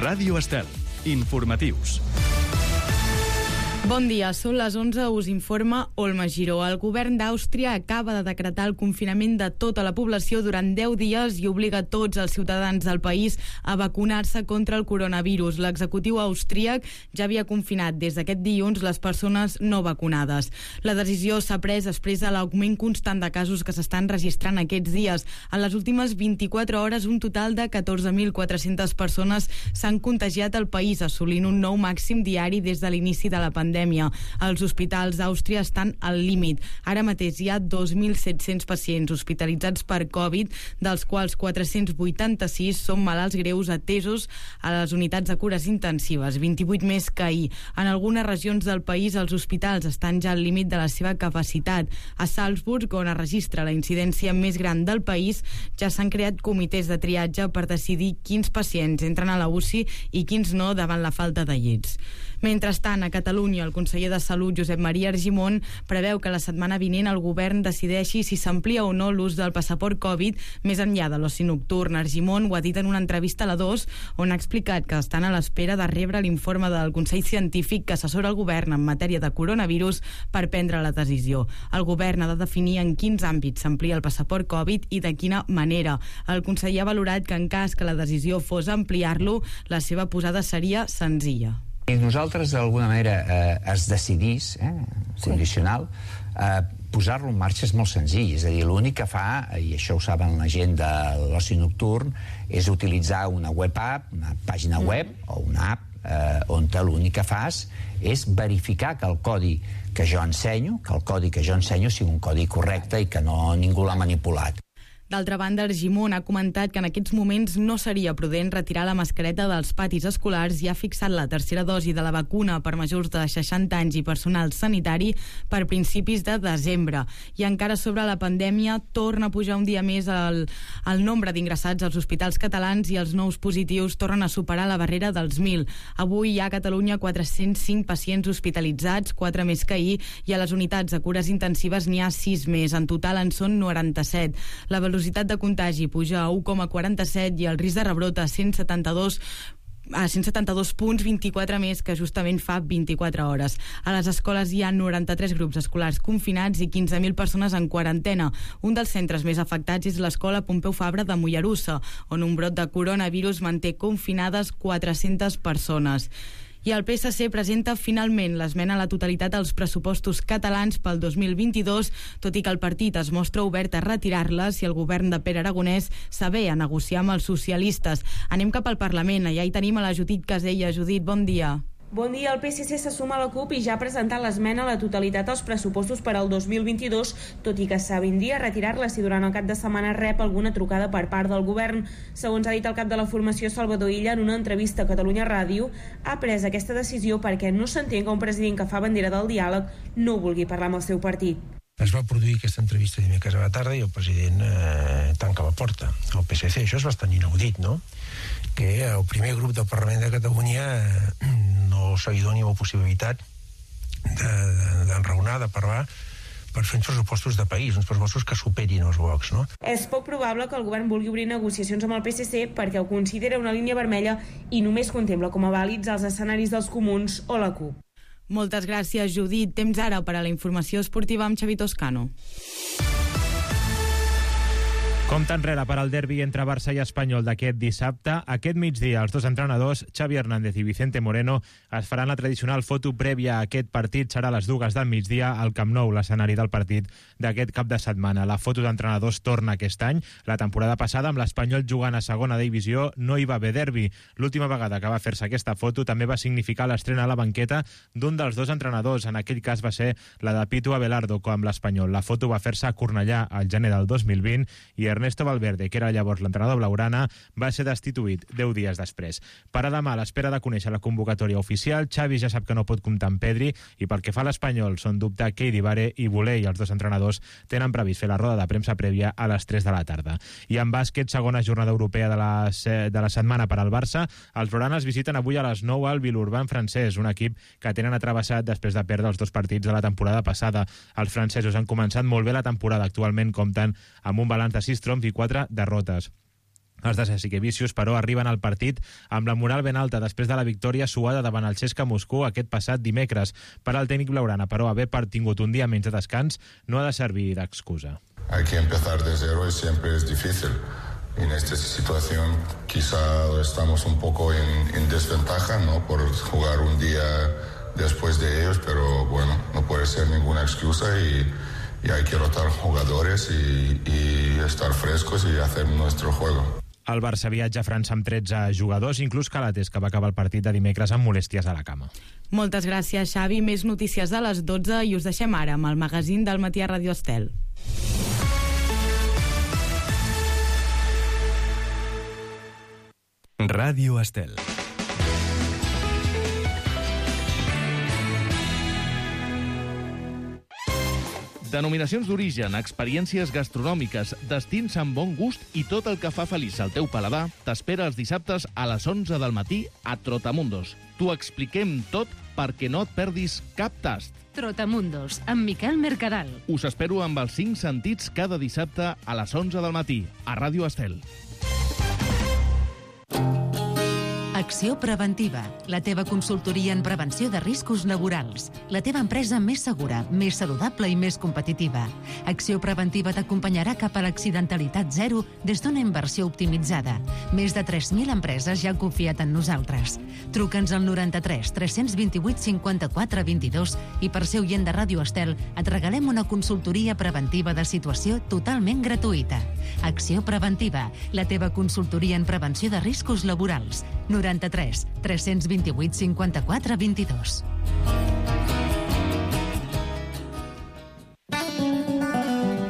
Ràdio Estel. Informatius. Bon dia, són les 11, us informa Olma Giró. El govern d'Àustria acaba de decretar el confinament de tota la població durant 10 dies i obliga tots els ciutadans del país a vacunar-se contra el coronavirus. L'executiu austríac ja havia confinat des d'aquest dilluns les persones no vacunades. La decisió s'ha pres després de l'augment constant de casos que s'estan registrant aquests dies. En les últimes 24 hores, un total de 14.400 persones s'han contagiat al país, assolint un nou màxim diari des de l'inici de la pandèmia. Els hospitals d'Àustria estan al límit. Ara mateix hi ha 2.700 pacients hospitalitzats per Covid, dels quals 486 són malalts greus atesos a les unitats de cures intensives, 28 més que ahir. En algunes regions del país els hospitals estan ja al límit de la seva capacitat. A Salzburg, on es registra la incidència més gran del país, ja s'han creat comitès de triatge per decidir quins pacients entren a la UCI i quins no davant la falta de llits. Mentrestant, a Catalunya, el conseller de Salut, Josep Maria Argimon, preveu que la setmana vinent el govern decideixi si s'amplia o no l'ús del passaport Covid més enllà de l'oci nocturn. Argimon ho ha dit en una entrevista a la 2, on ha explicat que estan a l'espera de rebre l'informe del Consell Científic que assessora el govern en matèria de coronavirus per prendre la decisió. El govern ha de definir en quins àmbits s'amplia el passaport Covid i de quina manera. El conseller ha valorat que en cas que la decisió fos ampliar-lo, la seva posada seria senzilla. I nosaltres, d'alguna manera, es decidís, condicional, posar-lo en marxa és molt senzill. És a dir, l'únic que fa, i això ho saben la gent de l'oci nocturn, és utilitzar una web app, una pàgina web o una app on l'únic que fas és verificar que el codi que jo ensenyo, sigui un codi correcte i que no ningú l'ha manipulat. D'altra banda, Argimon ha comentat que en aquests moments no seria prudent retirar la mascareta dels patis escolars i ha fixat la tercera dosi de la vacuna per majors de 60 anys i personal sanitari per principis de desembre. I encara sobre la pandèmia, torna a pujar un dia més el nombre d'ingressats als hospitals catalans i els nous positius tornen a superar la barrera dels 1.000. Avui hi ha a Catalunya 405 pacients hospitalitzats, 4 més que ahir, i a les unitats de cures intensives n'hi ha 6 més. En total en són 97. La velocitat de contagi puja a 1,47 i el risc de rebrot a 172 punts, 24 més que justament fa 24 hores. A les escoles hi ha 93 grups escolars confinats i 15.000 persones en quarantena. Un dels centres més afectats és l'escola Pompeu Fabra de Mollerussa, on un brot de coronavirus manté confinades 400 persones. I el PSC presenta finalment l'esmena a la totalitat als pressupostos catalans pel 2022, tot i que el partit es mostra obert a retirar-la si el govern de Pere Aragonès s'avé a negociar amb els socialistes. Anem cap al Parlament, allà hi tenim a la Judit Casella. Judit, bon dia. Bon dia, el PSC se suma a la CUP i ja ha presentat l'esmena a la totalitat als pressupostos per al 2022, tot i que s'avindia a retirar-la si durant el cap de setmana rep alguna trucada per part del govern. Segons ha dit el cap de la formació, Salvador Illa, en una entrevista a Catalunya Ràdio, ha pres aquesta decisió perquè no s'entén que un president que fa bandera del diàleg no vulgui parlar amb el seu partit. Es va produir aquesta entrevista dimecres a la tarda i el president tanca la porta al PSC. Això és bastant inaudit, no? Que el primer grup del Parlament de Catalunya no se li doni la possibilitat d'enraonar, de parlar per fer uns pressupostos de país, uns pressupostos que superin els blocs, no? És poc probable que el govern vulgui obrir negociacions amb el PSC perquè ho considera una línia vermella i només contempla com a vàlids els escenaris dels comuns o la CUP. Moltes gràcies, Judit. Temps ara per a la informació esportiva amb Xavi Toscano. Compte enrere per al derbi entre Barça i Espanyol d'aquest dissabte. Aquest migdia, els dos entrenadors, Xavi Hernández i Vicente Moreno, es faran la tradicional foto prèvia a aquest partit. Serà a les 2 del migdia al Camp Nou, l'escenari del partit d'aquest cap de setmana. La foto d'entrenadors torna aquest any. La temporada passada, amb l'Espanyol jugant a segona divisió, no hi va haver derbi. L'última vegada que va fer-se aquesta foto també va significar l'estrena a la banqueta d'un dels dos entrenadors. En aquell cas va ser la de Pitu Abelardo amb l'Espanyol. La foto va fer-se a Cornellà al gener del 2020 i Ernesto Valverde, que era llavors l'entrenador blaugrana, va ser destituït 10 dies després. Per a demà, a l'espera de conèixer la convocatòria oficial, Xavi ja sap que no pot comptar amb Pedri i pel que fa a l'Espanyol són dubte Keidi Bare i Boulé, i els dos entrenadors tenen previst fer la roda de premsa prèvia a les 3 de la tarda. I en bàsquet, segona jornada europea de la setmana per al Barça, els blaugranes visiten avui a les 9 al Villeurbanne francès, un equip que tenen atravessat després de perdre els 2 partits de la temporada passada. Els francesos han començat molt bé la temporada, actualment compten amb un balanç de 6 triomfs i 4 derrotes. Els de Jasikevičius, però, arriben al partit amb la moral ben alta després de la victòria suada davant el CSKA Moscou aquest passat dimecres. Per al tècnic blaugrana, però, haver tingut un dia menys de descans no ha de servir d'excusa. Hay que empezar de cero y siempre es difícil. En esta situación quizá estamos un poco en desventaja, ¿no?, por jugar un día después de ellos, pero bueno, no puede ser ninguna excusa y hay que rotar jugadores y estar frescos y hacer nuestro juego. El Barça viatja a França amb 13 jugadors, inclús Calates, que va acabar el partit de dimecres amb molèsties a la cama. Moltes gràcies, Xavi. Més notícies a les 12 i us deixem ara amb el magazín del matí a Ràdio Estel. Ràdio Estel. Denominacions d'origen, experiències gastronòmiques, destins amb bon gust i tot el que fa feliç el teu paladar t'espera els dissabtes a les 11 del matí a Trotamundos. T'ho expliquem tot perquè no et perdis cap tast. Trotamundos, amb Miquel Mercadal. Us espero amb els 5 sentits cada dissabte a les 11 del matí a Ràdio Estel. Acció Preventiva, la teva consultoria en prevenció de riscos laborals. La teva empresa més segura, més saludable i més competitiva. Acció Preventiva t'acompanyarà cap a l'accidentalitat zero des d'una inversió optimitzada. Més de 3.000 empreses ja han confiat en nosaltres. Truca'ns al 93 328 54 22 i per ser oient de Ràdio Estel et regalem una consultoria preventiva de situació totalment gratuïta. Acció Preventiva, la teva consultoria en prevenció de riscos laborals. 93 328 54 22.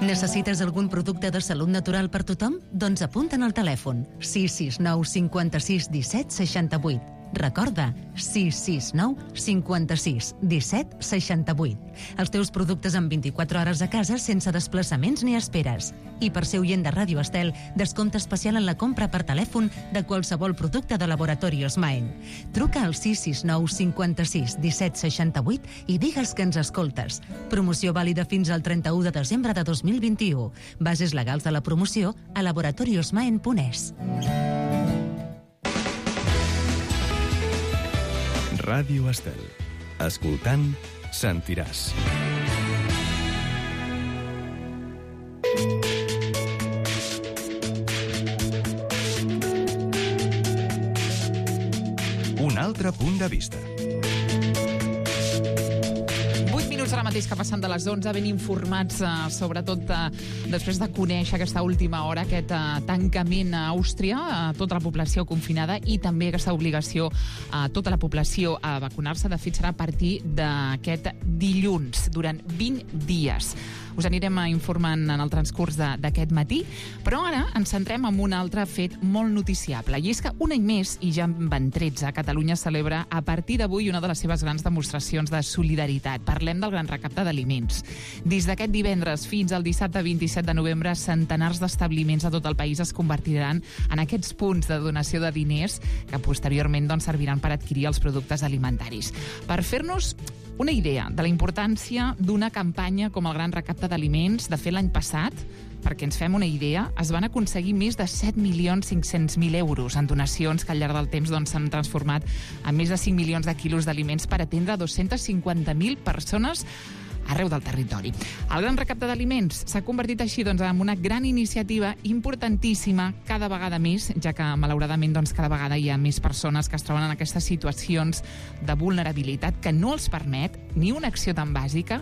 Necessites algun producte de salut natural per tothom? Doncs apunta'n al telèfon 669 56 17 68. Recorda, 669 56 17 68. Els teus productes en 24 hores a casa sense desplaçaments ni esperes. I per ser oient de Ràdio Estel, descompte especial en la compra per telèfon de qualsevol producte de Laboratorios Maen. Truca al 669 56 17 68 i digues que ens escoltes. Promoció vàlida fins al 31 de desembre de 2021. Bases legals de la promoció a laboratoriosmaen.es. Ràdio Estel. Escoltant, sentiràs. Un altre punt de vista. 8 minuts ara mateix que passen de les 11, ben informats, sobretot després de conèixer aquesta última hora, aquest tancament a Àustria, a tota la població confinada, i també aquesta obligació a tota la població a vacunar-se. De fet, serà a partir d'aquest dilluns, durant 20 dies. Us anirem informant en el transcurs d'aquest matí, però ara ens centrem en un altre fet molt noticiable, i és que un any més, i ja en van 13, Catalunya celebra a partir d'avui una de les seves grans demostracions de solidaritat. Parlem del Gran Recapte d'Aliments. Des d'aquest divendres fins al dissabte 27 de novembre, centenars d'establiments a tot el país es convertiran en aquests punts de donació de diners que posteriorment serviran per adquirir els productes alimentaris. Per fer-nos una idea de la importància d'una campanya com el Gran Recapte d'Aliments, de fet l'any passat, perquè ens fem una idea, es van aconseguir més de 7.500.000 euros en donacions que al llarg del temps s'han transformat en més de 5 milions de quilos d'aliments per atendre 250.000 persones arreu del territori. El Gran Recapte d'Aliments s'ha convertit així en una gran iniciativa importantíssima cada vegada més, ja que malauradament cada vegada hi ha més persones que es troben en aquestes situacions de vulnerabilitat que no els permet ni una acció tan bàsica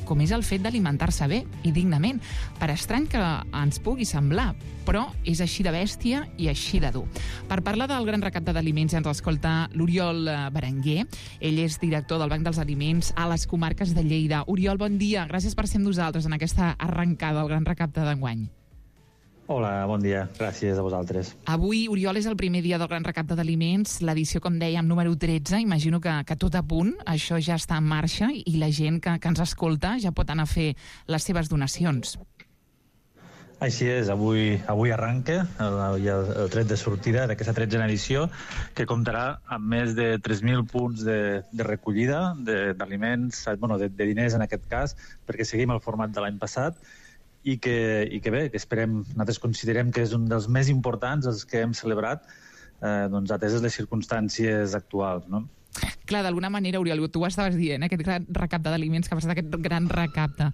com és el fet d'alimentar-se bé i dignament. Per estrany que ens pugui semblar, però és així de bèstia i així de dur. Per parlar del Gran Recapte d'Aliments ens escolta l'Oriol Berenguer. Ell és director del Banc dels Aliments a les comarques de Lleida. Oriol, bon dia. Gràcies per ser amb nosaltres en aquesta arrencada del Gran Recapte d'enguany. Hola, bon dia. Gràcies a vosaltres. Avui, Oriol, és el primer dia del Gran Recapte d'Aliments, l'edició, com dèiem, número 13. Imagino que tot a punt, això ja està en marxa i la gent que ens escolta ja pot anar a fer les seves donacions. Així és, avui arranca el tret de sortida d'aquesta 13a edició, que comptarà amb més de 3.000 punts de recollida d'aliments, de diners en aquest cas, perquè seguim el format de l'any passat, i que bé, que esperem, nosaltres considerem que és un dels més importants els que hem celebrat, doncs ateses les circumstàncies actuals, no? Clar, d'alguna manera, Oriol, tu ho estaves dient, aquest gran recapte d'aliments que ha passat, aquest gran recapte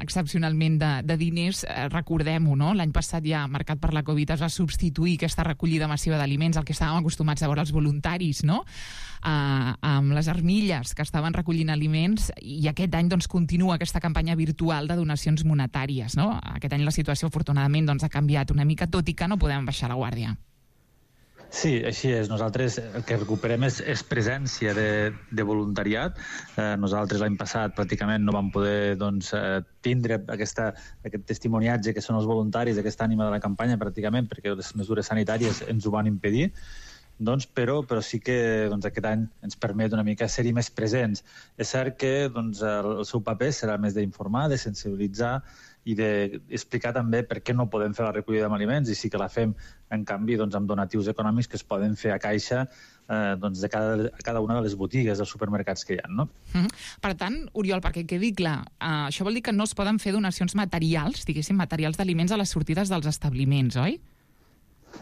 excepcionalment de diners, recordem-ho, no? L'any passat ja, marcat per la Covid, es va substituir aquesta recollida massiva d'aliments, el que estàvem acostumats a veure els voluntaris, no? Amb les armilles que estaven recollint aliments, i aquest any doncs, continua aquesta campanya virtual de donacions monetàries, no? Aquest any la situació, afortunadament, doncs, ha canviat una mica, tot i que no podem baixar la guàrdia. Sí, així és. Nosaltres el que recuperem és presència de voluntariat. Nosaltres l'any passat pràcticament no vam poder tindre aquest testimoniatge que són els voluntaris, aquesta ànima de la campanya pràcticament, perquè les mesures sanitàries ens ho van impedir. Però sí que aquest any ens permet una mica ser-hi més presents. És cert que el seu paper serà més d'informar, de sensibilitzar i d'explicar també per què no podem fer la recollida d'aliments, i sí que la fem, en canvi, amb donatius econòmics que es poden fer a caixa de cada una de les botigues dels supermercats que hi ha, no? Per tant, Oriol, perquè quedi clar, això vol dir que no es poden fer donacions materials, diguéssim, materials d'aliments a les sortides dels establiments, oi?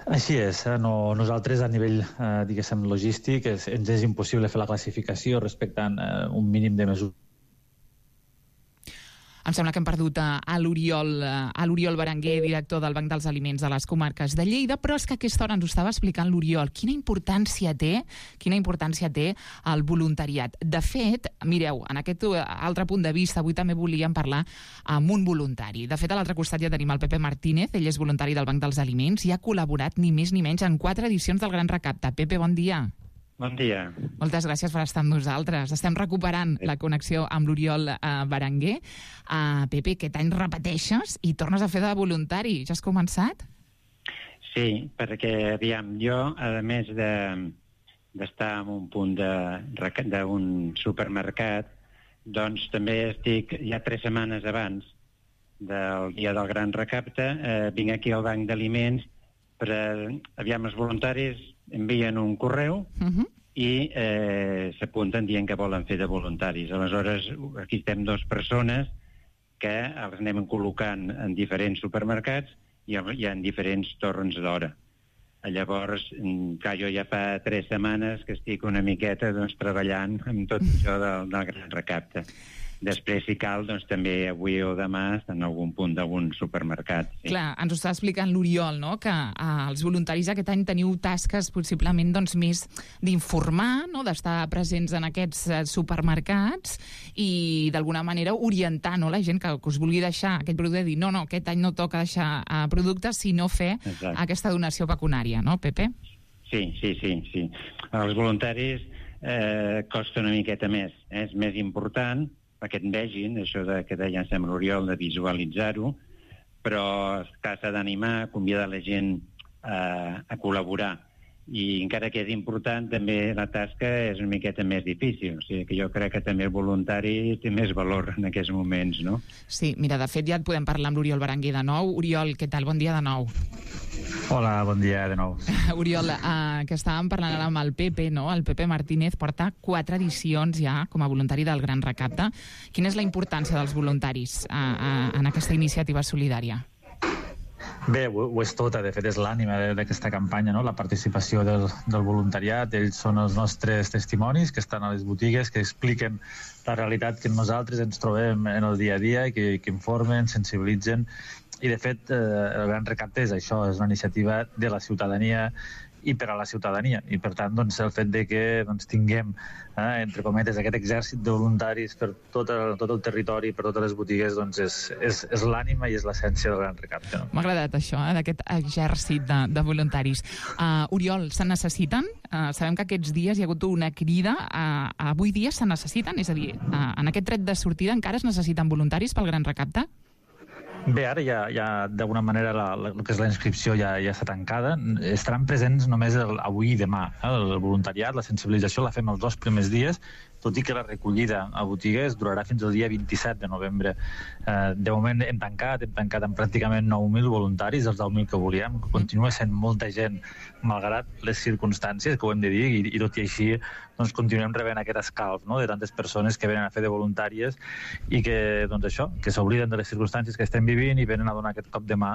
Així és. Nosaltres, a nivell, diguéssim, logístic, ens és impossible fer la classificació respectant un mínim de mesures. Em sembla que hem perdut a l'Oriol Berenguer, director del Banc dels Aliments de les Comarques de Lleida, però és que a aquesta hora ens ho estava explicant l'Oriol. Quina importància té el voluntariat. De fet, mireu, en aquest altre punt de vista, avui també volíem parlar amb un voluntari. De fet, a l'altre costat ja tenim el Pepe Martínez, ell és voluntari del Banc dels Aliments i ha col·laborat ni més ni menys en 4 edicions del Gran Recapte. Pepe, bon dia. Bon dia. Moltes gràcies per estar amb nosaltres. Estem recuperant la connexió amb l'Oriol Berenguer. Pepe, aquest any repeteixes i tornes a fer de voluntari. Ja has començat? Sí, perquè, aviam, jo, a més d'estar en un punt d'un supermercat, doncs també estic, ja 3 setmanes abans del dia del Gran Recapte, vinc aquí al Banc d'Aliments aviam, els voluntaris envien un correu i s'apunten dient que volen fer de voluntaris. Aleshores, aquí estem 2 persones que els anem col·locant en diferents supermercats i en diferents torns d'hora. Llavors, clar, jo ja fa 3 setmanes que estic una miqueta treballant amb tot això del Gran Recapte. Després, si cal, doncs també avui o demà en algun punt d'algun supermercat. Sí. Clar, ens ho està explicant l'Oriol, no?, que els voluntaris aquest any teniu tasques possiblement més d'informar, no?, d'estar presents en aquests supermercats i d'alguna manera orientar, no?, la gent que us vulgui deixar aquest producte, dir no, aquest any no toca deixar productes, sinó fer aquesta donació pecuniària, no, Pepe? Sí. Els voluntaris costa una miqueta més, és més important perquè et vegin, això que deia sempre l'Oriol, de visualitzar-ho, però s'ha d'animar, convidar la gent a col·laborar. I encara que és important, també la tasca és una miqueta més difícil. O sigui que jo crec que també el voluntari té més valor en aquests moments, no? Sí, mira, de fet ja et podem parlar amb l'Oriol Berenguer de nou. Oriol, què tal? Bon dia de nou. Hola, bon dia de nou. Oriol, que estàvem parlant ara amb el Pepe, no? El Pepe Martínez porta 4 edicions ja com a voluntari del Gran Recapte. Quina és la importància dels voluntaris en aquesta iniciativa solidària? Bé, ho és tota, de fet és l'ànima d'aquesta campanya, no? La participació del voluntariat. Ells són els nostres testimonis que estan a les botigues, que expliquen la realitat que nosaltres ens trobem en el dia a dia, que informen, sensibilitzen, i de fet el Gran Recapte és això, és una iniciativa de la ciutadania i per a la ciutadania, i per tant el fet de que tinguem entre cometes aquest exèrcit de voluntaris per tot el territori, per totes les botigues, és l'ànima i és l'essència del Gran Recapte. M'ha agradat això, d'aquest exèrcit de voluntaris. Oriol, se necessiten? Sabem que aquests dies hi ha hagut una crida. Avui dia se necessiten? És a dir, en aquest tret de sortida encara es necessiten voluntaris pel Gran Recapte? Bé, ara ja d'alguna manera el que és la inscripció ja està tancada. Estaran presents només avui i demà. El voluntariat, la sensibilització la fem els 2 primers dies tot i que la recollida a botigues durarà fins al dia 27 de novembre. De moment hem tancat amb pràcticament 9.000 voluntaris, els 10.000 que volíem. Continua sent molta gent, malgrat les circumstàncies, que ho hem de dir, i tot i així doncs, continuem rebent aquest escalf, no?, de tantes persones que venen a fer de voluntàries i que, doncs això, que s'obliden de les circumstàncies que estem vivint i venen a donar aquest cop de mà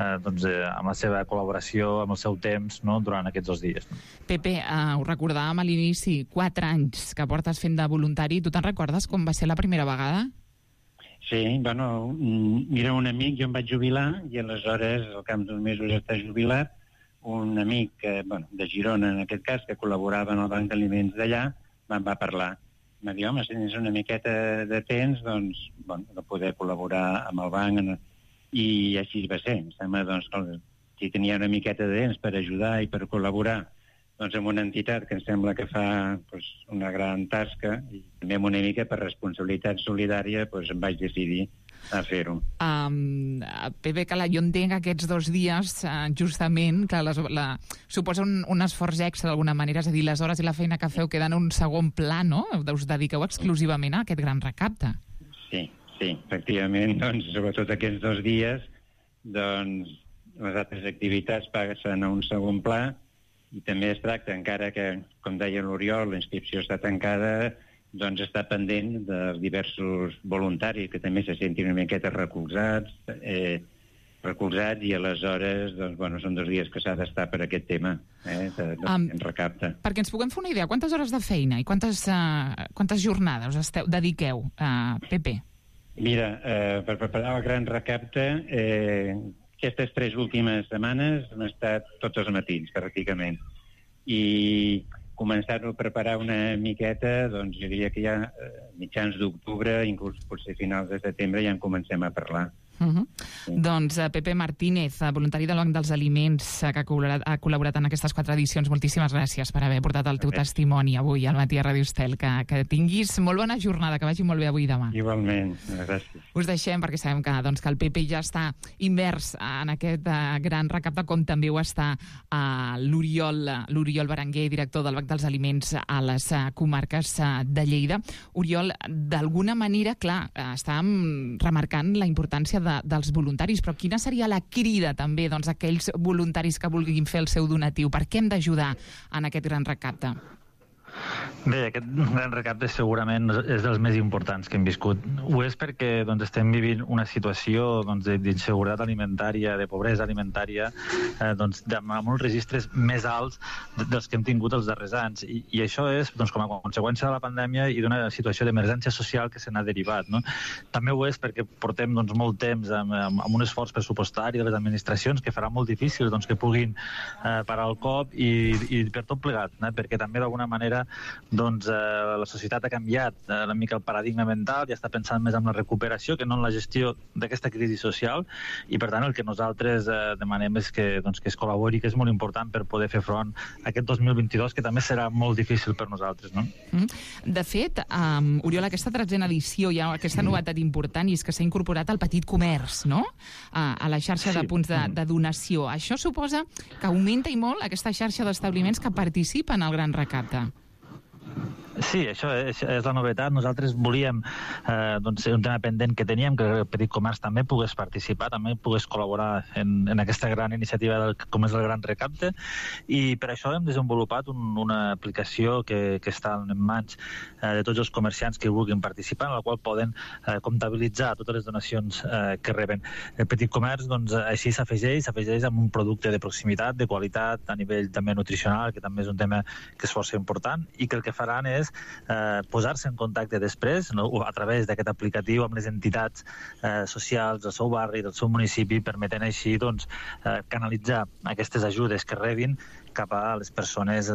amb la seva col·laboració, amb el seu temps, no?, durant aquests 2 dies. Pepe, ho recordàvem a l'inici, 4 anys que portes fent de voluntari. Tu te'n recordes com va ser la primera vegada? Sí, bueno, mira, un amic, jo em vaig jubilar i aleshores, al cap d'uns mesos està jubilat, un amic, de Girona en aquest cas, que col·laborava en el Banc d'Aliments d'allà, me'n va parlar. Em va dir, home, si tens una miqueta de temps, doncs, de poder col·laborar amb el banc, i així va ser. Em sembla, doncs, que si tenia una miqueta de temps per ajudar i per col·laborar doncs, amb una entitat que em sembla que fa una gran tasca, i també amb una mica per responsabilitat solidària, em vaig decidir a fer-ho. Pepe Cala, jo entenc aquests 2 dies, justament, que suposa un esforç extra d'alguna manera, és a dir, les hores i la feina que feu queden en un segon pla, no? Us dediqueu exclusivament a aquest gran recapte. Sí, efectivament, doncs, sobretot aquests 2 dies, doncs, les altres activitats passen a un segon pla, i també es tracta, encara que, com deia l'Oriol, la inscripció està tancada, doncs està pendent dels diversos voluntaris que també se sentin una miqueta recolzats i aleshores doncs, són 2 dies que s'ha d'estar per aquest tema de recapte. Perquè ens puguem fer una idea, quantes hores de feina i quantes jornades dediqueu, Pepe? Mira, per preparar el gran recapte, aquestes 3 últimes setmanes han estat tots els matins, pràcticament. I començar-ho a preparar una miqueta, doncs jo diria que ja mitjans d'octubre, inclús potser finals de setembre, ja en comencem a parlar. Doncs Pepe Martínez, voluntari del Banc dels Aliments, que ha col·laborat en aquestes 4 edicions. Moltíssimes gràcies per haver portat el teu testimoni avui al Matí a Ràdio Estel. Que tinguis molt bona jornada, que vagi molt bé avui i demà. Igualment, gràcies. Us deixem perquè sabem que el Pepe ja està immers en aquest gran recapte, com també ho està l'Oriol Berenguer, director del Banc dels Aliments a les comarques de Lleida. Oriol, d'alguna manera, clar, estàvem remarcant la importància dels voluntaris, però quina seria la crida també a aquells voluntaris que vulguin fer el seu donatiu? Per què hem d'ajudar en aquest gran recapte? Bé, aquest gran recapte segurament és dels més importants que hem viscut. Ho és perquè estem vivint una situació d'inseguretat alimentària, de pobresa alimentària, amb uns registres més alts dels que hem tingut els darrers anys. I això és com a conseqüència de la pandèmia i d'una situació d'emergència social que se n'ha derivat. No? També ho és perquè portem molt temps amb un esforç pressupostari de les administracions que farà molt difícil que puguin parar el cop i per tot plegat, perquè també d'alguna manera la societat ha canviat una mica el paradigma mental i està pensant més en la recuperació que no en la gestió d'aquesta crisi social, i per tant el que nosaltres demanem és que es col·labori, que és molt important per poder fer front a aquest 2022, que també serà molt difícil per nosaltres. No? De fet, Oriol, aquesta 13a edició hi ha aquesta novetat important, i és que s'ha incorporat el petit comerç, no? A la xarxa de punts de donació. Això suposa que augmenta i molt aquesta xarxa d'establiments que participen al gran recapte. Sí, això és la novetat. Nosaltres volíem, ser un tema pendent que teníem, que el petit comerç també pogués participar, també pogués col·laborar en aquesta gran iniciativa com és el Gran Recapte, i per això hem desenvolupat una aplicació que està en mans de tots els comerciants que vulguin participar, en la qual poden comptabilitzar totes les donacions que reben. El petit comerç, així s'afegeix amb un producte de proximitat, de qualitat, a nivell també nutricional, que també és un tema que és força important, i que el que faran és posar-se en contacte després a través d'aquest aplicatiu amb les entitats socials del seu barri, del seu municipi, permetent així canalitzar aquestes ajudes que rebin cap a les persones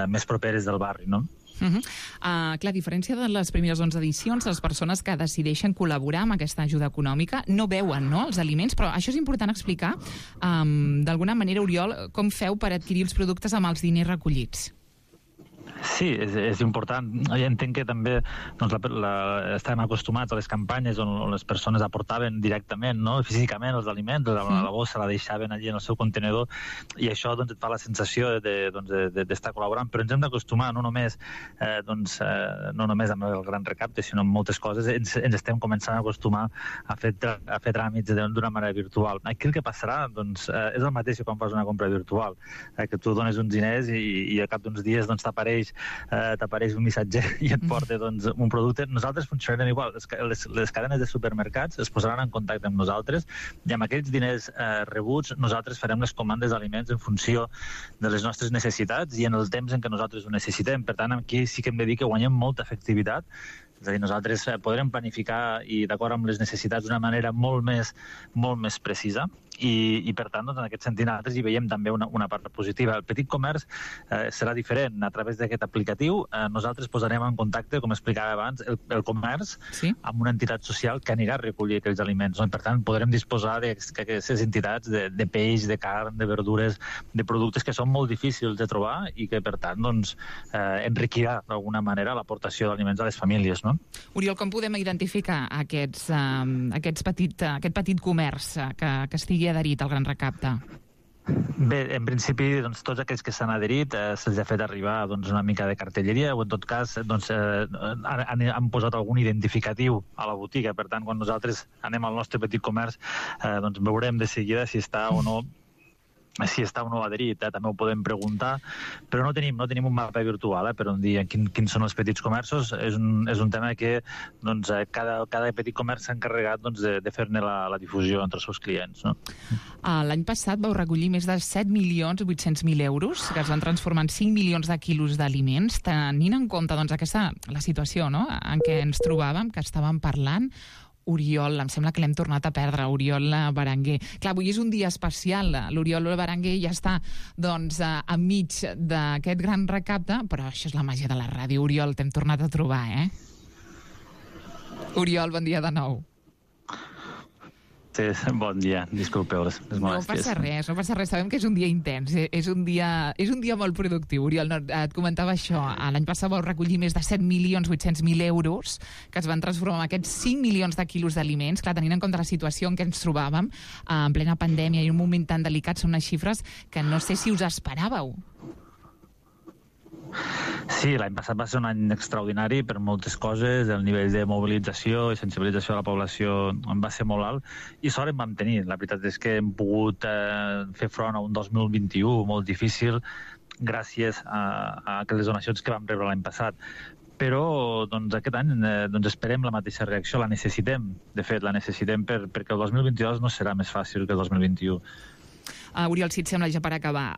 més properes del barri, no? Clar, a diferència de les primeres 11 edicions, les persones que decideixen col·laborar amb aquesta ajuda econòmica no veuen els aliments, però això és important explicar d'alguna manera, Oriol, com feu per adquirir els productes amb els diners recollits. Sí, és important. Jo entenc que també doncs, estem acostumats a les campanyes on les persones aportaven directament, no? Físicament, els aliments, la bossa la deixaven allí en el seu contenedor, i això doncs, et fa la sensació d'estar col·laborant. Però ens hem d'acostumar, no només amb el gran recapte, sinó amb moltes coses. Ens estem començant a acostumar a fer tràmits d'una manera virtual. Aquí el que passarà doncs, és el mateix que quan fas una compra virtual, que tu dones uns diners i al cap d'uns dies doncs, t'apareix un missatger i et porta doncs, un producte. Nosaltres funcionarem igual. Les cadenes de supermercats es posaran en contacte amb nosaltres i amb aquells diners rebuts nosaltres farem les comandes d'aliments en funció de les nostres necessitats i en el temps en què nosaltres ho necessitem. Per tant, aquí sí que hem de dir que guanyem molta efectivitat. És a dir, nosaltres podrem planificar i d'acord amb les necessitats d'una manera molt més precisa i per tant, doncs, en aquest sentit, nosaltres hi veiem també una part positiva. El petit comerç serà diferent. A través d'aquest aplicatiu nosaltres posarem en contacte, com explicava abans, el comerç amb una entitat social que anirà a recollir aquells aliments. No? I per tant, podrem disposar d'aquestes entitats de peix, de carn, de verdures, de productes que són molt difícils de trobar i que, per tant, doncs, enriquirà d'alguna manera l'aportació d'aliments a les famílies. No? Oriol, com podem identificar aquest petit comerç que estigui adherit al Gran Recapte? Bé, en principi, doncs, tots aquells que s'han adherit se'ls ha fet arribar doncs, una mica de cartelleria o, en tot cas, doncs, han posat algun identificatiu a la botiga. Per tant, quan nosaltres anem al nostre petit comerç, doncs, veurem de seguida si està o no adherit, també ho podem preguntar, però no tenim un mapa virtual per on dir quins són els petits comerços. És un tema que doncs, cada petit comerç s'ha encarregat doncs, de fer-ne la difusió entre els seus clients. No? L'any passat vau recollir més de 7.800.000 euros que es van transformar en 5 milions de quilos d'aliments. Tenint en compte doncs, la situació, no?, en què ens trobàvem, que estàvem parlant, Oriol, em sembla que l'hem tornat a perdre, Oriol Berenguer. Clar, avui és un dia especial, l'Oriol Berenguer ja està doncs, enmig d'aquest gran recapte, però això és la màgia de la ràdio. Oriol, t'hem tornat a trobar, Oriol, bon dia de nou. Sí, bon dia, disculpeu les molèsties. No passa res, sabem que és un dia intens, és un dia molt productiu. Oriol, et comentava això, l'any passat vau recollir més de 7.800.000 euros que es van transformar en aquests 5 milions de quilos d'aliments. Clar, tenint en compte la situació en què ens trobàvem, en plena pandèmia i un moment tan delicat, són unes xifres que no sé si us esperàveu. Sí, l'any passat va ser un any extraordinari per moltes coses. El nivell de mobilització i sensibilització de la població va ser molt alt i sort en vam tenir. La veritat és que hem pogut fer front a un 2021 molt difícil gràcies a aquelles donacions que vam rebre l'any passat. Però doncs, aquest any doncs, esperem la mateixa reacció, la necessitem. De fet, la necessitem perquè el 2022 no serà més fàcil que el 2021. Oriol, si et sembla, ja per acabar,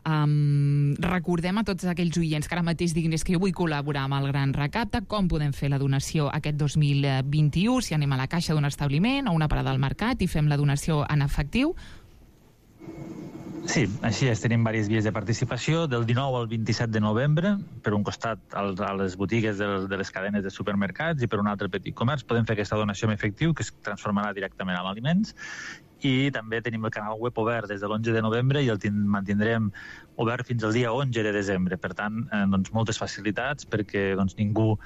recordem a tots aquells oients que ara mateix diguin que jo vull col·laborar amb el Gran Recapte, com podem fer la donació aquest 2021, si anem a la caixa d'un establiment o una parada al mercat i fem la donació en efectiu? Sí, així és, tenim diverses vies de participació, del 19 al 27 de novembre, per un costat a les botigues de les cadenes de supermercats i per un altre petit comerç podem fer aquesta donació en efectiu que es transformarà directament en aliments. I també tenim el canal web obert des de l'11 de novembre i el mantindrem obert fins al dia 11 de desembre. Per tant, doncs, moltes facilitats perquè doncs, ningú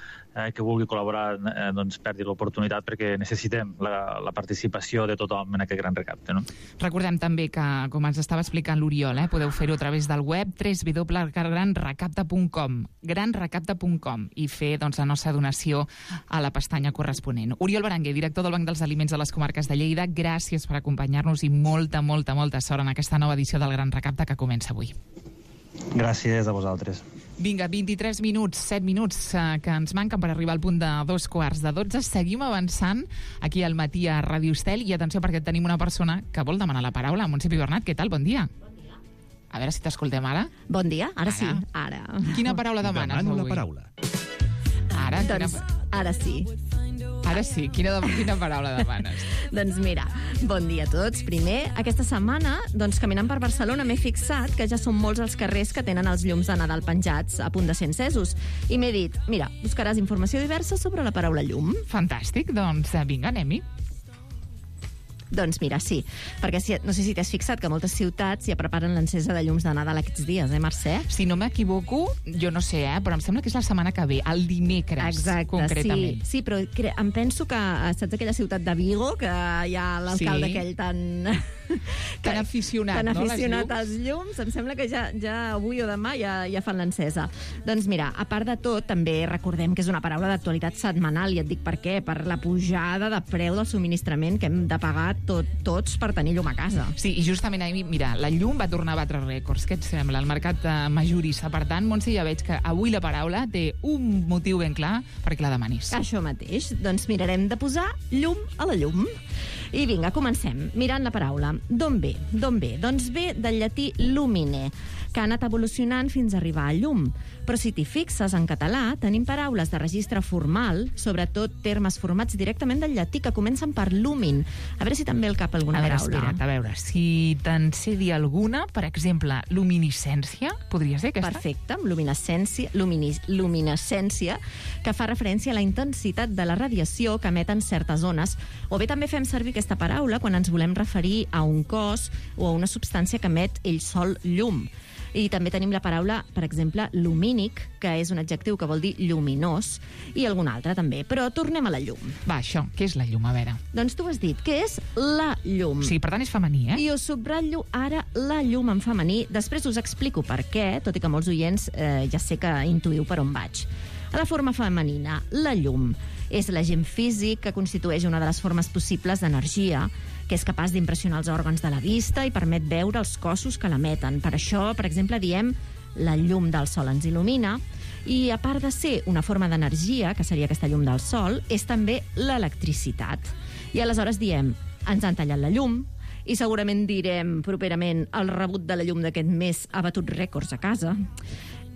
que vulgui col·laborar doncs, perdi l'oportunitat perquè necessitem la participació de tothom en aquest gran recapte. No? Recordem també que, com ens estava explicant l'Oriol, podeu fer-ho a través del web www.granrecapte.com granrecapte.com i fer doncs, la nostra donació a la pestanya corresponent. Oriol Berenguer, director del Banc dels Aliments de les Comarques de Lleida, gràcies per acompanyar-nos i molta sort en aquesta nova edició del Gran Recapte que comença avui. Gràcies a vosaltres. Vinga, 23 minuts, 7 minuts que ens manquen per arribar al punt de 2:45. Seguim avançant aquí al matí a Ràdio Estel i atenció perquè tenim una persona que vol demanar la paraula. Montse Pibernat, què tal? Bon dia. A veure si t'escoltem ara. Bon dia, ara sí. Ara. Quina paraula demanes avui? Demano la paraula. Ara, ara sí. Ara sí, quina paraula demanes? Doncs mira, bon dia a tots. Primer, aquesta setmana, doncs, caminant per Barcelona, m'he fixat que ja són molts els carrers que tenen els llums de Nadal penjats a punt de ser encesos. I m'he dit, mira, buscaràs informació diversa sobre la paraula llum. Fantàstic, doncs vinga, anem-hi. Doncs mira, sí, perquè no sé si t'has fixat que moltes ciutats ja preparen l'encesa de llums de Nadal aquests dies, Mercè? Si no m'equivoco, jo no sé, però em sembla que és la setmana que ve, el dimecres, exacte, concretament. Sí, però em penso que, saps aquella ciutat de Vigo, que hi ha l'alcalde aquell tan aficionat, tan aficionat als llums, em sembla que ja avui o demà ja fan l'encesa. Doncs mira, a part de tot, també recordem que és una paraula d'actualitat setmanal, i et dic per què, per la pujada de preu del subministrament que hem de pagar tots per tenir llum a casa. Sí, i justament ahir, mira, la llum va tornar a batre rècords. Què et sembla? El mercat majorista. Per tant, Montse, ja veig que avui la paraula té un motiu ben clar perquè la demanis. Això mateix. Doncs mirarem de posar llum a la llum. I vinga, comencem. Mirant la paraula. D'on ve? Doncs ve del llatí lumine, que ha anat evolucionant fins a arribar a llum. Però si t'hi fixes, en català tenim paraules de registre formal, sobretot termes formats directament del llatí, que comencen per lumin. A veure si també el cap alguna paraula. Espera't, a veure, si te'n sé dir alguna, per exemple, luminiscència, podria ser aquesta? Perfecte, luminescència, que fa referència a la intensitat de la radiació que emeten certes ones, o bé també fem servir aquesta paraula quan ens volem referir a un cos o a una substància que emet ell sol llum. I també tenim la paraula, per exemple, lumínic, que és un adjectiu que vol dir lluminós, i algun altre també. Però tornem a la llum. Va, això, què és la llum, a veure? Doncs tu has dit, què és la llum? Sí, per tant és femení, I us subratllo ara la llum en femení. Després us explico per què, tot i que molts oients ja sé que intuïu per on vaig. A la forma femenina, la llum és l'agent físic que constitueix una de les formes possibles d'energia, que és capaç d'impressionar els òrgans de la vista i permet veure els cossos que l'emeten. Per això, per exemple, diem la llum del sol ens il·lumina, i a part de ser una forma d'energia, que seria aquesta llum del sol, és també l'electricitat. I aleshores diem, ens han tallat la llum, i segurament direm properament el rebut de la llum d'aquest mes ha batut rècords a casa.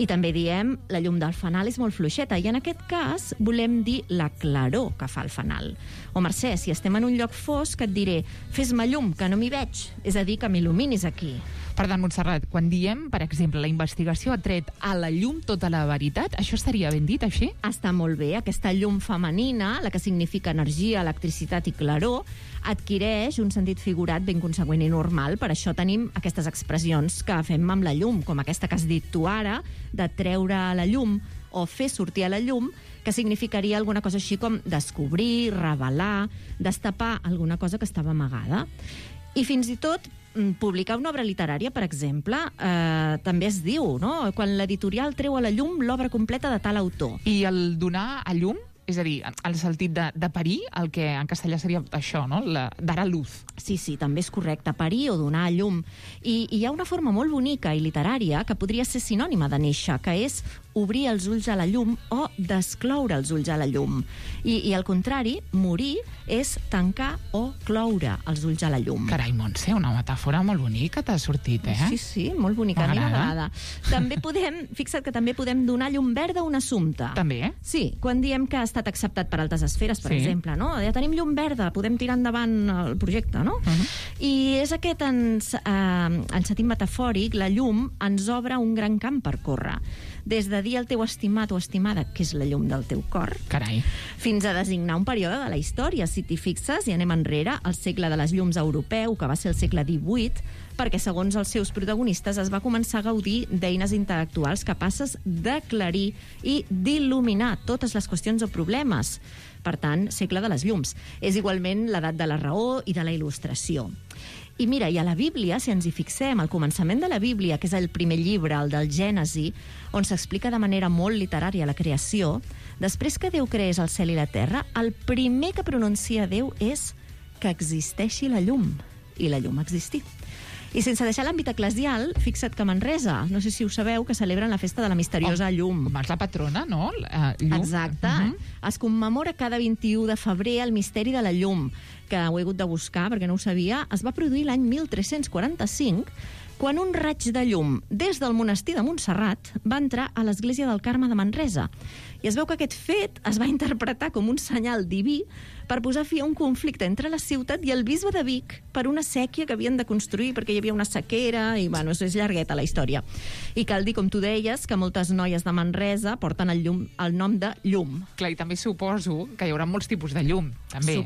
I també diem la llum del fanal és molt fluixeta, i en aquest cas volem dir la claror que fa el fanal. O Mercè, si estem en un lloc fosc, et diré fes-me llum, que no m'hi veig, és a dir, que m'il·luminis aquí. Per tant, Montserrat, quan diem, per exemple, la investigació ha tret a la llum tota la veritat, això estaria ben dit, així? Està molt bé. Aquesta llum femenina, la que significa energia, electricitat i claror, adquireix un sentit figurat ben conseqüent i normal. Per això tenim aquestes expressions que fem amb la llum, com aquesta que has dit tu ara, de treure a la llum o fer sortir a la llum, que significaria alguna cosa així com descobrir, revelar, destapar alguna cosa que estava amagada. I fins i tot publicar una obra literària, per exemple, també es diu, no? Quan l'editorial treu a la llum l'obra completa de tal autor. I el donar a llum, és a dir, el sentit de parir, el que en castellà seria això, no? Dar a luz. Sí, també és correcte, parir o donar a llum. I hi ha una forma molt bonica i literària que podria ser sinònima de néixer, que és obrir els ulls a la llum o descloure els ulls a la llum. I al contrari, morir és tancar o cloure els ulls a la llum. Carai, Montse, una metàfora molt bonica t'ha sortit, Sí, molt bonica, a mi m'agrada. També fixa't que també podem donar llum verda a un assumpte. També? Sí, quan diem que ha estat acceptat per altes esferes, per exemple, no? Ja tenim llum verda, podem tirar endavant el projecte, no? I és aquest, en sentit metafòric, la llum ens obre un gran camp per córrer. Des de dir al teu estimat o estimada que és la llum del teu cor, carai, fins a designar un període de la història. Si t'hi fixes, i anem enrere, el segle de les llums europeu, que va ser el segle XVIII, perquè, segons els seus protagonistes, es va començar a gaudir d'eines intel·lectuals capaces d'aclarir i d'il·luminar totes les qüestions o problemes. Per tant, segle de les llums. És igualment l'edat de la raó i de la il·lustració. I mira, i a la Bíblia, si ens hi fixem, al començament de la Bíblia, que és el primer llibre, el del Gènesi, on s'explica de manera molt literària la creació, després que Déu creés el cel i la terra, el primer que pronuncia Déu és que existeixi la llum. I la llum existí. I sense deixar l'àmbit eclesial, fixa't que a Manresa, no sé si ho sabeu, que celebren la festa de la misteriosa llum. És la patrona, no? Llum. Exacte. Es commemora cada 21 de febrer el misteri de la llum, que ho he hagut de buscar perquè no ho sabia. Es va produir l'any 1345, quan un raig de llum des del monestir de Montserrat va entrar a l'església del Carme de Manresa. I es veu que aquest fet es va interpretar com un senyal diví per posar fi a un conflicte entre la ciutat i el bisbe de Vic per una sèquia que havien de construir perquè hi havia una sequera i, bueno, és llargueta la història. I cal dir, com tu deies, que moltes noies de Manresa porten el nom de llum. Clar, i també suposo que hi haurà molts tipus de llum, també,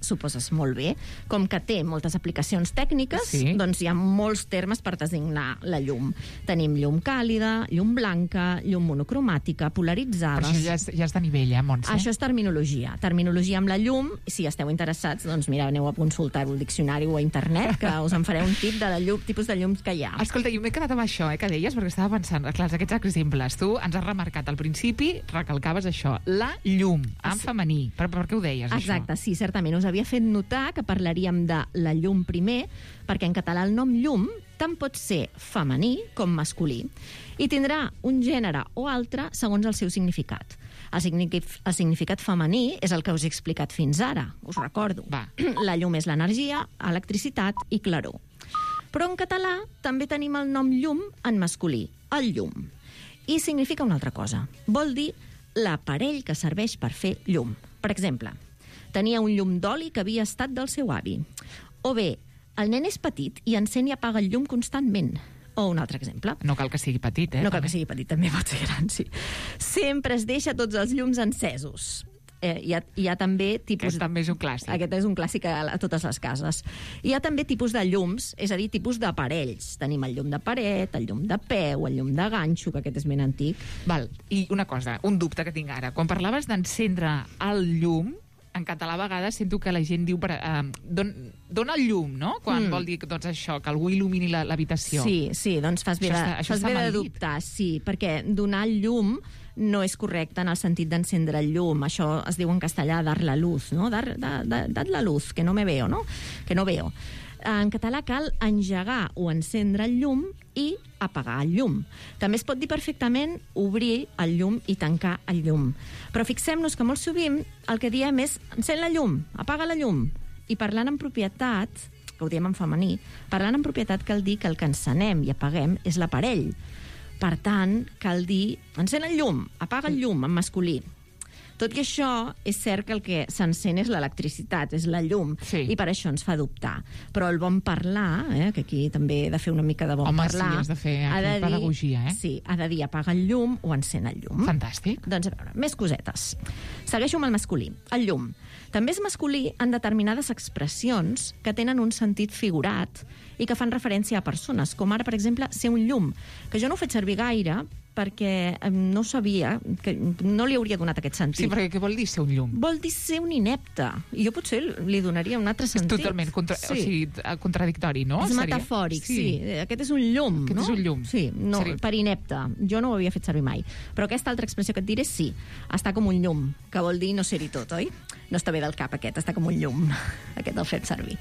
Suposes molt bé. Com que té moltes aplicacions tècniques, doncs hi ha molts termes per designar la llum. Tenim llum càlida, llum blanca, llum monocromàtica, polaritzada. Però això ja és de nivell, Montse? Això és terminologia. Terminologia amb la llum. Si esteu interessats, doncs mira, aneu a consultar-ho al diccionari o a internet, que us en faré un tip de tipus de llums que hi ha. Escolta, jo m'he quedat amb això, que deies, perquè estava pensant, clar, aquests exemples. Tu ens has remarcat al principi, recalcaves això, la llum, en femení. Per què ho deies, això? Exacte, sí, certament. Us havia fet notar que parlaríem de la llum primer, perquè en català el nom llum tant pot ser femení com masculí i tindrà un gènere o altre segons el seu significat. El significat femení és el que us he explicat fins ara, us recordo. La llum és l'energia, electricitat i claror. Però en català també tenim el nom llum en masculí, el llum. I significa una altra cosa. Vol dir l'aparell que serveix per fer llum. Per exemple, tenia un llum d'oli que havia estat del seu avi. O bé, el nen és petit i encén i apaga el llum constantment. O un altre exemple. No cal que sigui petit, No cal que sigui petit, també pot ser gran, sí. Sempre es deixa tots els llums encesos. Hi ha també tipus... Aquest també és un clàssic. Aquest és un clàssic a totes les cases. Hi ha també tipus de llums, és a dir, tipus d'aparells. Tenim el llum de paret, el llum de peu, el llum de ganxo, que aquest és ben antic. Val. I una cosa, un dubte que tinc ara. Quan parlaves d'encendre el llum, en català a vegades sento que la gent diu dona el llum, no? Quan vol dir doncs això, que algú il·lumini l'habitació. Sí, doncs fas bé de dubtar, sí, perquè donar el llum no és correcte en el sentit d'encendre el llum. Això es diu en castellà dar la luz, no? Dar la luz, que no me veo, no? Que no veo. En català cal engegar o encendre el llum i apagar el llum. També es pot dir perfectament obrir el llum i tancar el llum. Però fixem-nos que molt sovint el que diem és encén la llum, apaga la llum. I parlant en propietat, que ho diem en femení, parlant en propietat cal dir que el que encenem i apaguem és l'aparell. Per tant, cal dir encén el llum, apaga el llum en masculí. Tot i això, és cert que el que s'encén és l'electricitat, és la llum, i per això ens fa dubtar. Però el bon parlar, que aquí també he de fer una mica de bon parlar... Home, sí, has de fer pedagogia, Sí, ha de dir apaga el llum o encén el llum. Fantàstic. Doncs a veure, més cosetes. Segueixo amb el masculí, el llum. També és masculí en determinades expressions que tenen un sentit figurat i que fan referència a persones, com ara, per exemple, ser un llum, que jo no ho he fet servir gaire perquè no sabia, que no li hauria donat aquest sentit. Sí, perquè què vol dir ser un llum? Vol dir ser un inepte. I jo potser li donaria un altre sentit. És totalment contradictori, no? És metafòric, sí. Aquest és un llum, no? Aquest és un llum. Sí, no, per inepte. Jo no ho havia fet servir mai. Però aquesta altra expressió que et diré, sí, està com un llum, que vol dir no ser-hi tot, oi? No està bé del cap, aquest, està com un llum. Aquest el fem servir.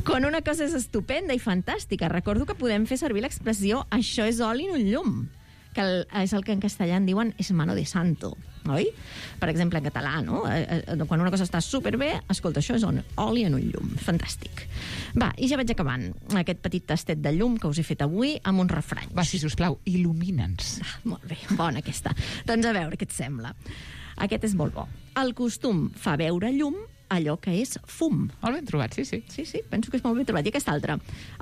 Quan una cosa és estupenda i fantàstica, recordo que podem fer servir l'expressió això és oli en un llum, que és el que en castellà en diuen es mano de santo, oi? Per exemple, en català, no? Quan una cosa està superbé, escolta, això és oli en un llum. Fantàstic. Va, i ja vaig acabant aquest petit tastet de llum que us he fet avui amb uns refranys. Va, sisplau, il·lumina'ns. Molt bé, bona aquesta. Doncs a veure què et sembla. Aquest és molt bo. El costum fa veure llum allò que és fum. Molt ben trobat, sí. Sí, penso que és molt ben trobat. I aquest altre.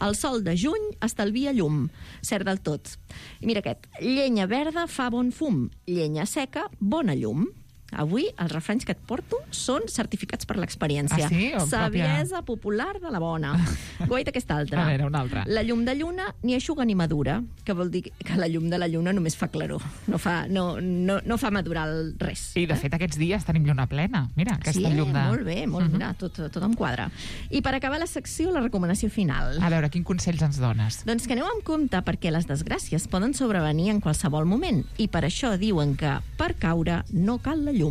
El sol de juny estalvia llum. Cert del tot. I mira aquest. Llenya verda fa bon fum. Llenya seca, bona llum. Avui els refranys que et porto són certificats per l'experiència. Ah, sí? Saviesa popular de la bona. Guaita aquesta altra. A veure, una altra. La llum de lluna ni eixuga ni madura, que vol dir que la llum de la lluna només fa claror. No fa madurar res. I, de fet, aquests dies tenim lluna plena. Mira, aquesta llum de... Molt bé, mira, tot em quadra. I per acabar la secció, la recomanació final. A veure, quin consell ens dones? Doncs que aneu amb compte perquè les desgràcies poden sobrevenir en qualsevol moment i per això diuen que per caure no cal la llum.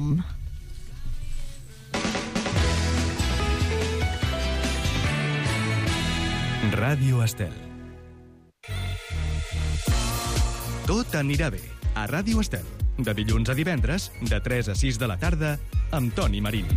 Ràdio Estel. Tot anirà bé a Ràdio Estel. De dilluns a divendres, de 3 a 6 de la tarda, amb Toni Marín.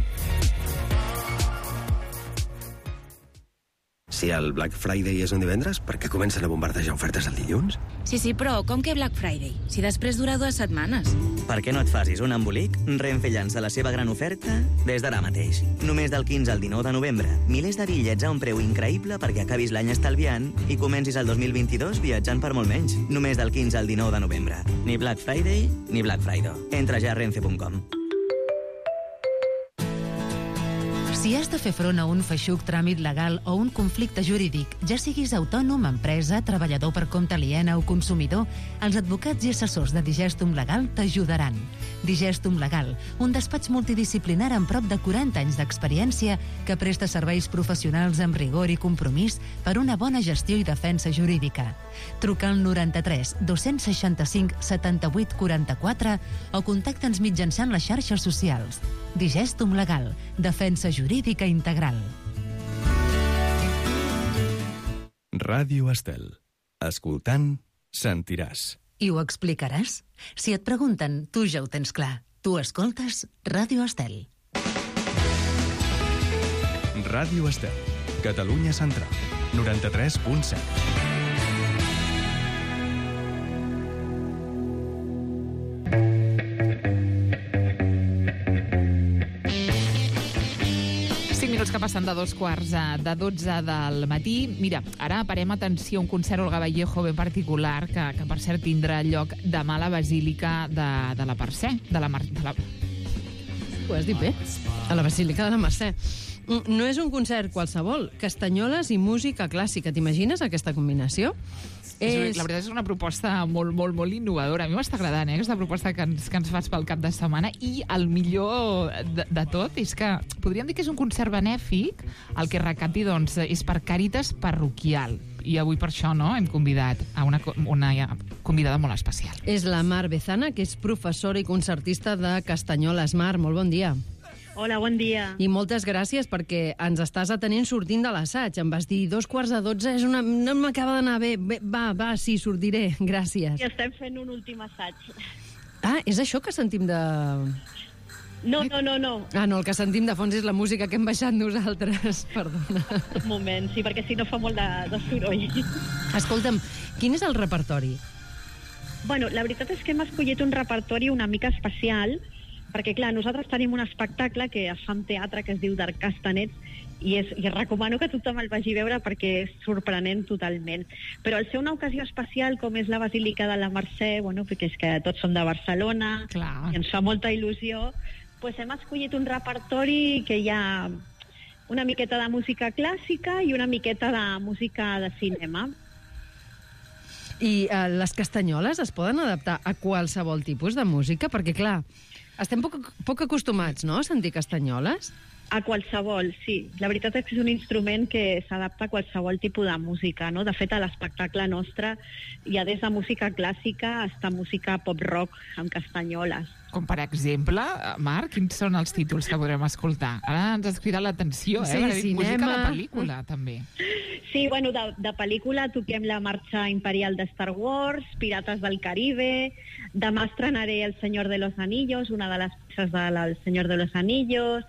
Si el Black Friday és un divendres, per què comencen a bombardejar ofertes el dilluns? Sí, però com que Black Friday? Si després dura 2 setmanes. Per què no et facis un embolic? Renfe llança la seva gran oferta des d'ara mateix. Només del 15 al 19 de novembre. Milers de bitllets a un preu increïble perquè acabis l'any estalviant i comencis el 2022 viatjant per molt menys. Només del 15 al 19 de novembre. Ni Black Friday ni Black Friday. Entra ja a renfe.com. Si has de fer front a un feixuc tràmit legal o un conflicte jurídic, ja siguis autònom, empresa, treballador per compte aliena o consumidor, els advocats i assessors de Digestum Legal t'ajudaran. Digestum Legal, un despatx multidisciplinar amb prop de 40 anys d'experiència que presta serveis professionals amb rigor i compromís per una bona gestió i defensa jurídica. Truca al 93 265 78 44 o contacta'ns mitjançant les xarxes socials. Digestum Legal, defensa jurídica integral. Ràdio Estel. Escoltant, sentiràs. I ho explicaràs? Si et pregunten, tu ja ho tens clar. Tu escoltes Ràdio Estel. Ràdio Estel. Catalunya Central. 93.7. Que passen de 2:15 del matí. Mira, ara parem atenció a un concert Olga Vallejo ben particular que per cert tindrà lloc demà a la Basílica de la Mercè. Ho has dit bé? A la Basílica de la Mercè. No és un concert qualsevol. Castanyoles i música clàssica. T'imagines aquesta combinació? La veritat és una proposta molt, molt, molt innovadora. A mi m'està agradant, aquesta proposta que ens fas pel cap de setmana. I el millor de tot és que podríem dir que és un concert benèfic. El que recapti, doncs, és per Càritas Parroquial. I avui per això, no?, hem convidat a una convidada molt especial. És la Mar Bezana, que és professora i concertista de Castanyoles. Mar, molt bon dia. Hola, bon dia. I moltes gràcies perquè ens estàs atenent sortint de l'assaig. Em vas dir 11:45, no m'acaba d'anar bé. Va, sí, sortiré. Gràcies. I estem fent un últim assaig. Ah, és això que sentim de... No. Ah, no, el que sentim de fons és la música que hem baixat nosaltres. Perdona. Un moment, sí, perquè si no fa molt de soroll. Escolta'm, quin és el repertori? Bueno, la veritat és que hem escollit un repertori una mica especial, perquè, clar, nosaltres tenim un espectacle que es fa en teatre que es diu Dark Castanets i recomano que tothom el vagi a veure perquè és sorprenent totalment. Però al ser una ocasió especial com és la Basílica de la Mercè, bueno, perquè és que tots som de Barcelona, clar, i ens fa molta il·lusió, doncs hem escollit un repertori que hi ha una miqueta de música clàssica i una miqueta de música de cinema. I les castanyoles es poden adaptar a qualsevol tipus de música? Perquè, clar, estem poc acostumats, no?, a sentir castanyoles? A qualsevol, sí. La veritat és que és un instrument que s'adapta a qualsevol tipus de música, no? De fet, a l'espectacle nostre hi ha des de música clàssica fins a música pop-rock amb castanyoles. Com, per exemple, Marc, quins són els títols que podrem escoltar? Ara ens has cridat l'atenció, Sí, cinema. Música de pel·lícula, també. Sí, bueno, de pel·lícula toquem la marxa imperial de Star Wars, Pirates del Caribe, demà estrenaré El Señor de los Anillos, una de les peces del Señor de los Anillos,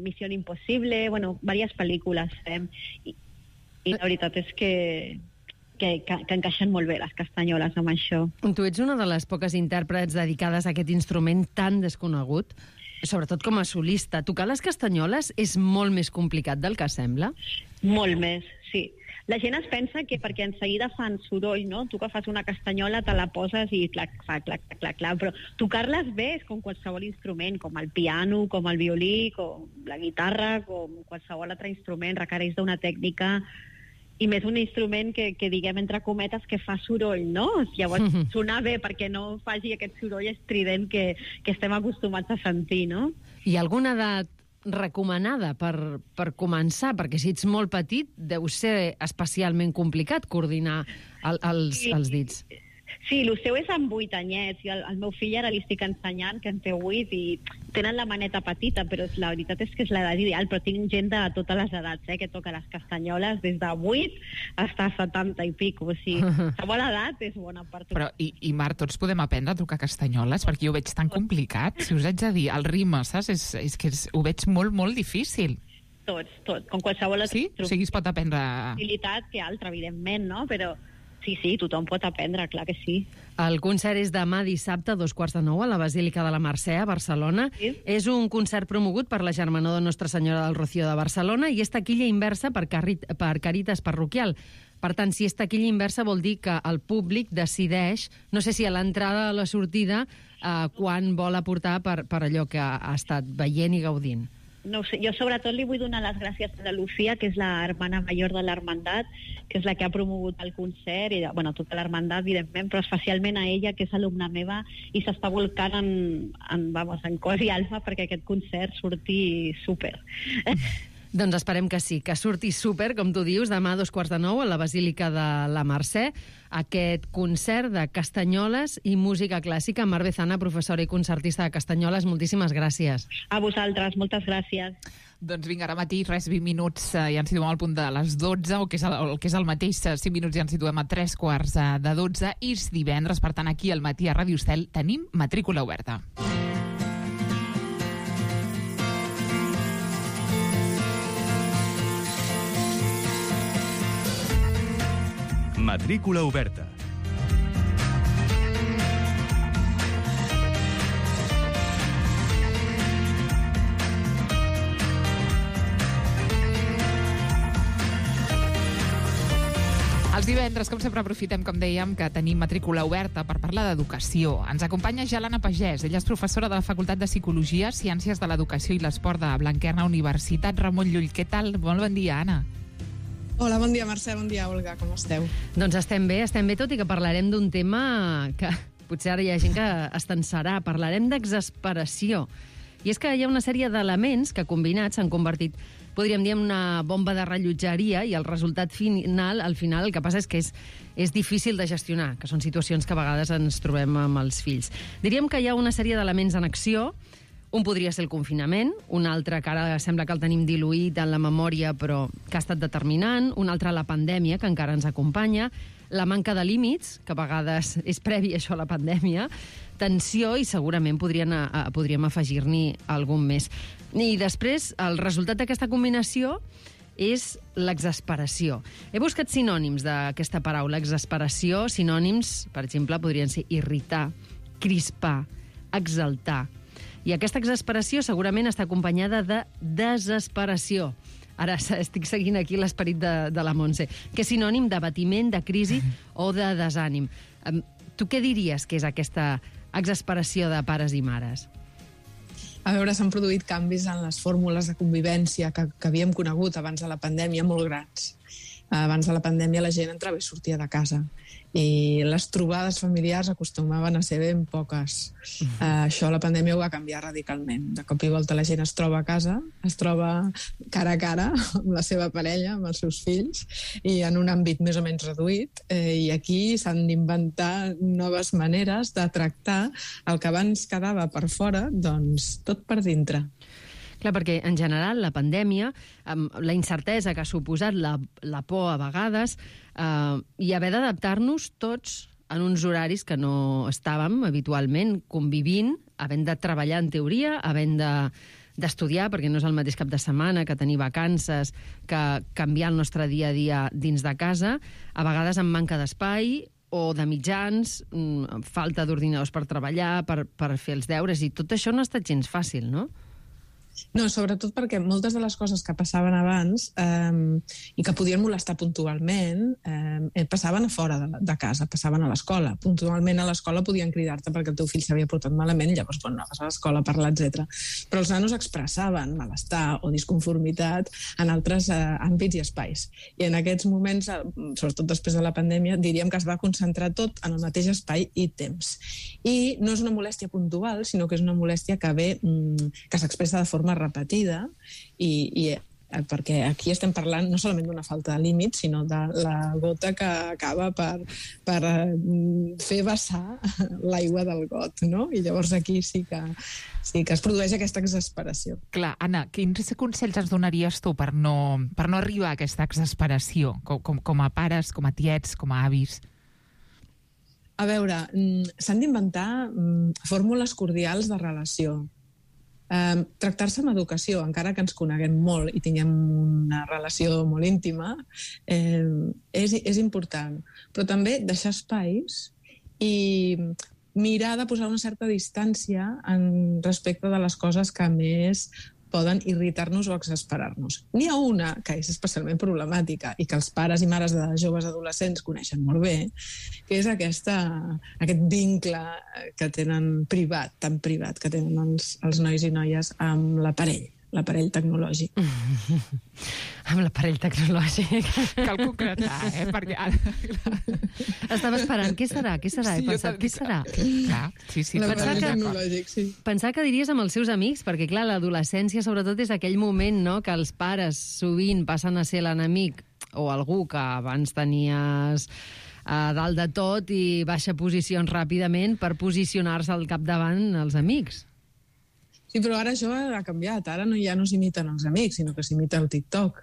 Misión Impossible, bueno, diverses pel·lícules fem. I la veritat és que encaixen molt bé les castanyoles amb això. Tu ets una de les poques intèrprets dedicades a aquest instrument tan desconegut, sobretot com a solista. Tocar les castanyoles és molt més complicat del que sembla? Molt més, sí. La gent es pensa que perquè en seguida fan soroll, no? Tu que fas una castanyola te la poses i clac, però tocar-les bé és com qualsevol instrument, com el piano, com el violí, com la guitarra, com qualsevol altre instrument, requereix d'una tècnica i més un instrument que diguem entre cometes que fa soroll, no? Llavors sonar bé perquè no faci aquest soroll estrident que estem acostumats a sentir, no? Hi ha alguna edat recomanada per començar? Perquè si ets molt petit deu ser especialment complicat coordinar els dits. Sí, el seu és amb 8 anyets, i el meu fill ara li estic ensenyant, que en té 8, i tenen la maneta petita, però la veritat és que és l'edat ideal, però tinc gent de totes les edats, que toca les castanyoles des de 8 fins a 70 i pico, o sigui, qualsevol edat és bona per tocar. Però, i Marc, tots podem aprendre a tocar castanyoles? Perquè jo ho veig tan complicat, si us haig de dir, el ritme, saps? És que ho veig molt, molt difícil. Tots. Com qualsevol altra. Sí? O sigui, es pot aprendre... Habilitat que altra, evidentment, no? Però sí, tothom pot aprendre, clar que sí. El concert és demà dissabte a 8:45 a la Basílica de la Mercè, a Barcelona. Sí. És un concert promogut per la Germanor de Nostra Senyora del Rocío de Barcelona i és taquilla inversa per Càritas Parroquial. Per tant, si és taquilla inversa vol dir que el públic decideix, no sé si a l'entrada o a la sortida, quan vol aportar per allò que ha estat veient i gaudint. No ho sé, jo sobretot li vull donar les gràcies a la Lucía, que és la hermana major de l'Hermandat, que és la que ha promogut el concert, i tota l'Hermandat, evidentment, però especialment a ella, que és alumna meva, i s'està volcant en cos i alma perquè aquest concert surti súper. Doncs esperem que sí, que surti súper, com tu dius, demà a 8:45 a la Basílica de la Mercè, aquest concert de castanyoles i música clàssica. Mar Bezana, professora i concertista de castanyoles, moltíssimes gràcies. A vosaltres, moltes gràcies. Doncs vinga, ara mateix, 20 minuts, ja ens situem al punt de les 12, o que és el mateix, 5 minuts ja ens situem a 3:15 i és divendres, per tant, aquí al matí a Ràdio Estel tenim matrícula oberta. Matrícula oberta. Els divendres, com sempre, aprofitem, com dèiem, que tenim matrícula oberta per parlar d'educació. Ens acompanya Gelana Pagès. Ella és professora de la Facultat de Psicologia, Ciències de l'Educació i l'Esport de Blanquerna Universitat Ramon Llull. Què tal? Molt bon dia, Anna. Hola, bon dia, Mercè, bon dia, Olga, com esteu? Doncs estem bé, tot i que parlarem d'un tema que potser ara hi ha gent que es tensarà. Parlarem d'exasperació. I és que hi ha una sèrie d'elements que combinats s'han convertit, podríem dir, en una bomba de rellotgeria, i el resultat final, al final, el que passa és que és difícil de gestionar, que són situacions que a vegades ens trobem amb els fills. Diríem que hi ha una sèrie d'elements en acció. Un podria ser el confinament, un altre que ara sembla que el tenim diluït en la memòria però que ha estat determinant, un altre la pandèmia, que encara ens acompanya, la manca de límits, que a vegades és previ això a la pandèmia, tensió i segurament podríem afegir-n'hi algun més. I després, el resultat d'aquesta combinació és l'exasperació. He buscat sinònims d'aquesta paraula, exasperació. Sinònims, per exemple, podrien ser irritar, crispar, exaltar. I aquesta exasperació segurament està acompanyada de desesperació. Ara estic seguint aquí l'esperit de la Montse, que és sinònim d'abatiment, de crisi o de desànim. Tu què diries que és aquesta exasperació de pares i mares? A veure, s'han produït canvis en les fórmules de convivència que havíem conegut abans de la pandèmia molt grans. Abans de la pandèmia la gent entrava i sortia de casa i les trobades familiars acostumaven a ser ben poques. Això la pandèmia ho va canviar radicalment. De cop i volta la gent es troba a casa, es troba cara a cara amb la seva parella, amb els seus fills, i en un àmbit més o menys reduït, i aquí s'han d'inventar noves maneres de tractar el que abans quedava per fora, doncs tot per dintre. Clar, perquè en general la pandèmia, la incertesa que ha suposat, la por a vegades, i haver d'adaptar-nos tots en uns horaris que no estàvem habitualment convivint, havent de treballar en teoria, havent d'estudiar, perquè no és el mateix cap de setmana, que tenir vacances, que canviar el nostre dia a dia dins de casa, a vegades amb manca d'espai o de mitjans, falta d'ordinadors per treballar, per fer els deures, i tot això no ha estat gens fàcil, no? No, sobretot perquè moltes de les coses que passaven abans i que podien molestar puntualment passaven a fora de casa, passaven a l'escola. Puntualment a l'escola podien cridar-te perquè el teu fill s'havia portat malament, llavors anaves a l'escola a parlar, etc. Però els nanos expressaven malestar o disconformitat en altres àmbits i espais. I en aquests moments, sobretot després de la pandèmia, diríem que es va concentrar tot en el mateix espai i temps. I no és una molèstia puntual, sinó que és una molèstia que ve, que s'expressa de forma repetida, i perquè aquí estem parlant no solament d'una falta de límit, sinó de la gota que acaba per fer vessar l'aigua del got, no? I llavors aquí sí que es produeix aquesta exasperació. Clar, Anna, quins consells ens donaries tu per no arribar a aquesta exasperació, com a pares, com a tiets, com a avis? A veure, s'han d'inventar fórmules cordials de relació. Tractar-se amb educació, encara que ens coneguem molt i tinguem una relació molt íntima, és important. Però també deixar espais i mirar de posar una certa distància en respecte de les coses que més poden irritar-nos o exasperar-nos. N'hi ha una que és especialment problemàtica i que els pares i mares de joves adolescents coneixen molt bé, que és aquest vincle que tenen privat, tan privat, que tenen els nois i noies amb l'aparell tecnològic. Amb l'aparell tecnològic. Cal concretar, perquè... Estava esperant, què serà? He pensat, què serà? L'aparell tecnològic, sí. Pensar que diries amb els seus amics, perquè, clar, l'adolescència, sobretot, és aquell moment, no?, que els pares sovint passen a ser l'enemic o algú que abans tenies a dalt de tot i baixa posicions ràpidament per posicionar-se al capdavant els amics. Sí, però ara això ha canviat. Ara ja no s'imiten els amics, sinó que s'imita el TikTok.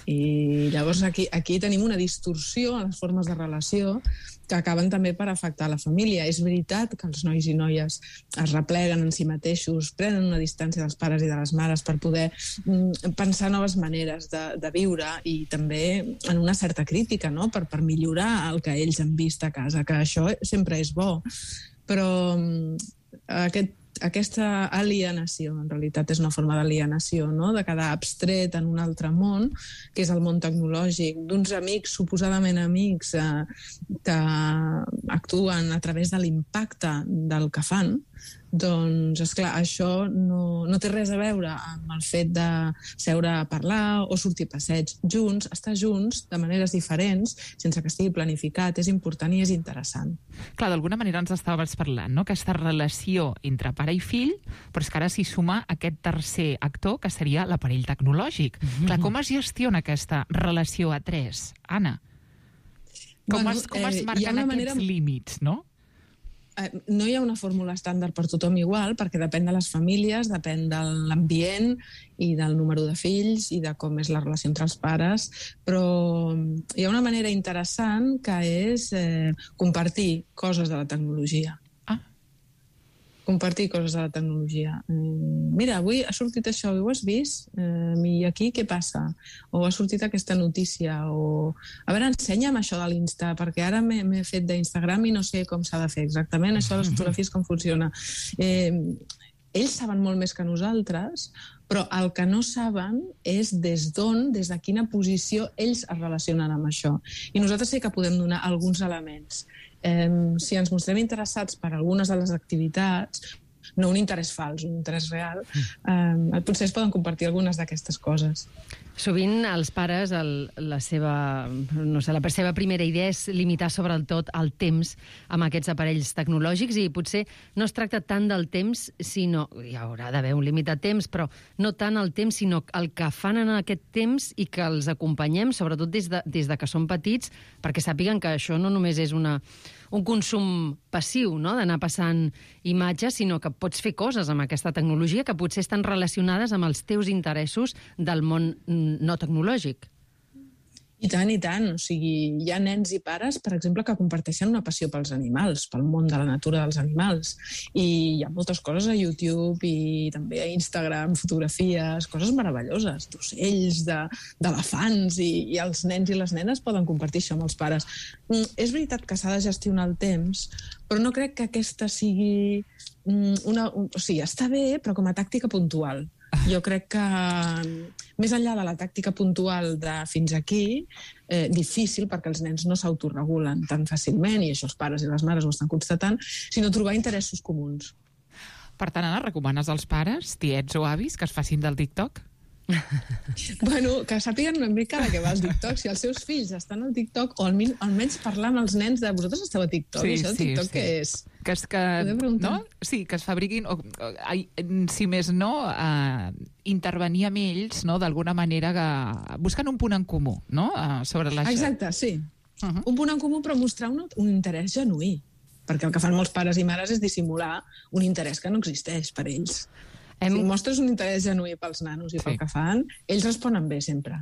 I llavors aquí tenim una distorsió en les formes de relació que acaben també per afectar la família. És veritat que els nois i noies es repleguen en si mateixos, prenen una distància dels pares i de les mares per poder pensar noves maneres de viure i també en una certa crítica, no?, per millorar el que ells han vist a casa, que això sempre és bo. Però aquesta alienació, en realitat és una forma d'alienació, no?, de quedar abstret en un altre món, que és el món tecnològic, d'uns amics, suposadament amics, que actuen a través de l'impacte del que fan. Doncs, esclar, això no té res a veure amb el fet de seure a parlar o sortir a passeig junts, estar junts de maneres diferents, sense que estigui planificat, és important i és interessant. Clar, d'alguna manera ens estaves parlant, no?, aquesta relació entre pare i fill, però és que ara s'hi suma aquest tercer actor, que seria l'aparell tecnològic. Clar, com es gestiona aquesta relació a tres, Anna? Com es marquen aquests límits, no? No hi ha una fórmula estàndard per tothom igual, perquè depèn de les famílies, depèn de l'ambient i del número de fills i de com és la relació entre els pares, però hi ha una manera interessant que és compartir coses de la tecnologia. Compartir coses de la tecnologia. Mira, avui ha sortit això, ho has vist? I aquí què passa? O ha sortit aquesta notícia? O a veure, ensenya'm això de l'Insta, perquè ara m'he fet d'Instagram i no sé com s'ha de fer exactament, això de les fotografies com funciona. Ells saben molt més que nosaltres, però el que no saben és des d'on, des de quina posició ells es relacionen amb això. I nosaltres sí que podem donar alguns elements. Si ens mostrem interessats per algunes de les activitats, no un interès fals, un interès real, potser es poden compartir algunes d'aquestes coses. Sovint els pares, la seva primera idea és limitar sobretot el temps amb aquests aparells tecnològics i potser no es tracta tant del temps, sinó... Hi haurà d'haver un límit de temps, però no tant el temps, sinó el que fan en aquest temps i que els acompanyem, sobretot des de que són petits, perquè sàpiguen que això no només és un consum passiu, no?, d'anar passant imatges, sinó que pots fer coses amb aquesta tecnologia que potser estan relacionades amb els teus interessos del món no tecnològic. I tant, i tant. O sigui, hi ha nens i pares, per exemple, que comparteixen una passió pels animals, pel món de la natura dels animals. I hi ha moltes coses a YouTube i també a Instagram, fotografies, coses meravelloses, d'ocells, d'elefants, i els nens i les nenes poden compartir això amb els pares. És veritat que s'ha de gestionar el temps, però no crec que aquesta sigui o sigui, està bé, però com a tàctica puntual. Jo crec que, més enllà de la tàctica puntual de fins aquí, difícil perquè els nens no s'autoregulen tan fàcilment, i això els pares i les mares ho estan constatant, sinó trobar interessos comuns. Per tant, Anna, recomanes als pares, tiets o avis, que es facin del TikTok? Bueno, que sàpiguen una mica de què va el TikTok. Si els seus fills estan al TikTok, o almenys parlar amb els nens de vosaltres esteu a TikTok, i això del TikTok què és? No? Sí, que es fabriquin, si més no, intervenir amb ells, no?, d'alguna manera, buscant un punt en comú, no?, sobre la... Exacte, sí. Un punt en comú, però mostrar un interès genuí, perquè el que fan molts pares i mares és dissimular un interès que no existeix per ells. Si mostres un interès genuí pels nanos i pel que fan, ells responen bé sempre.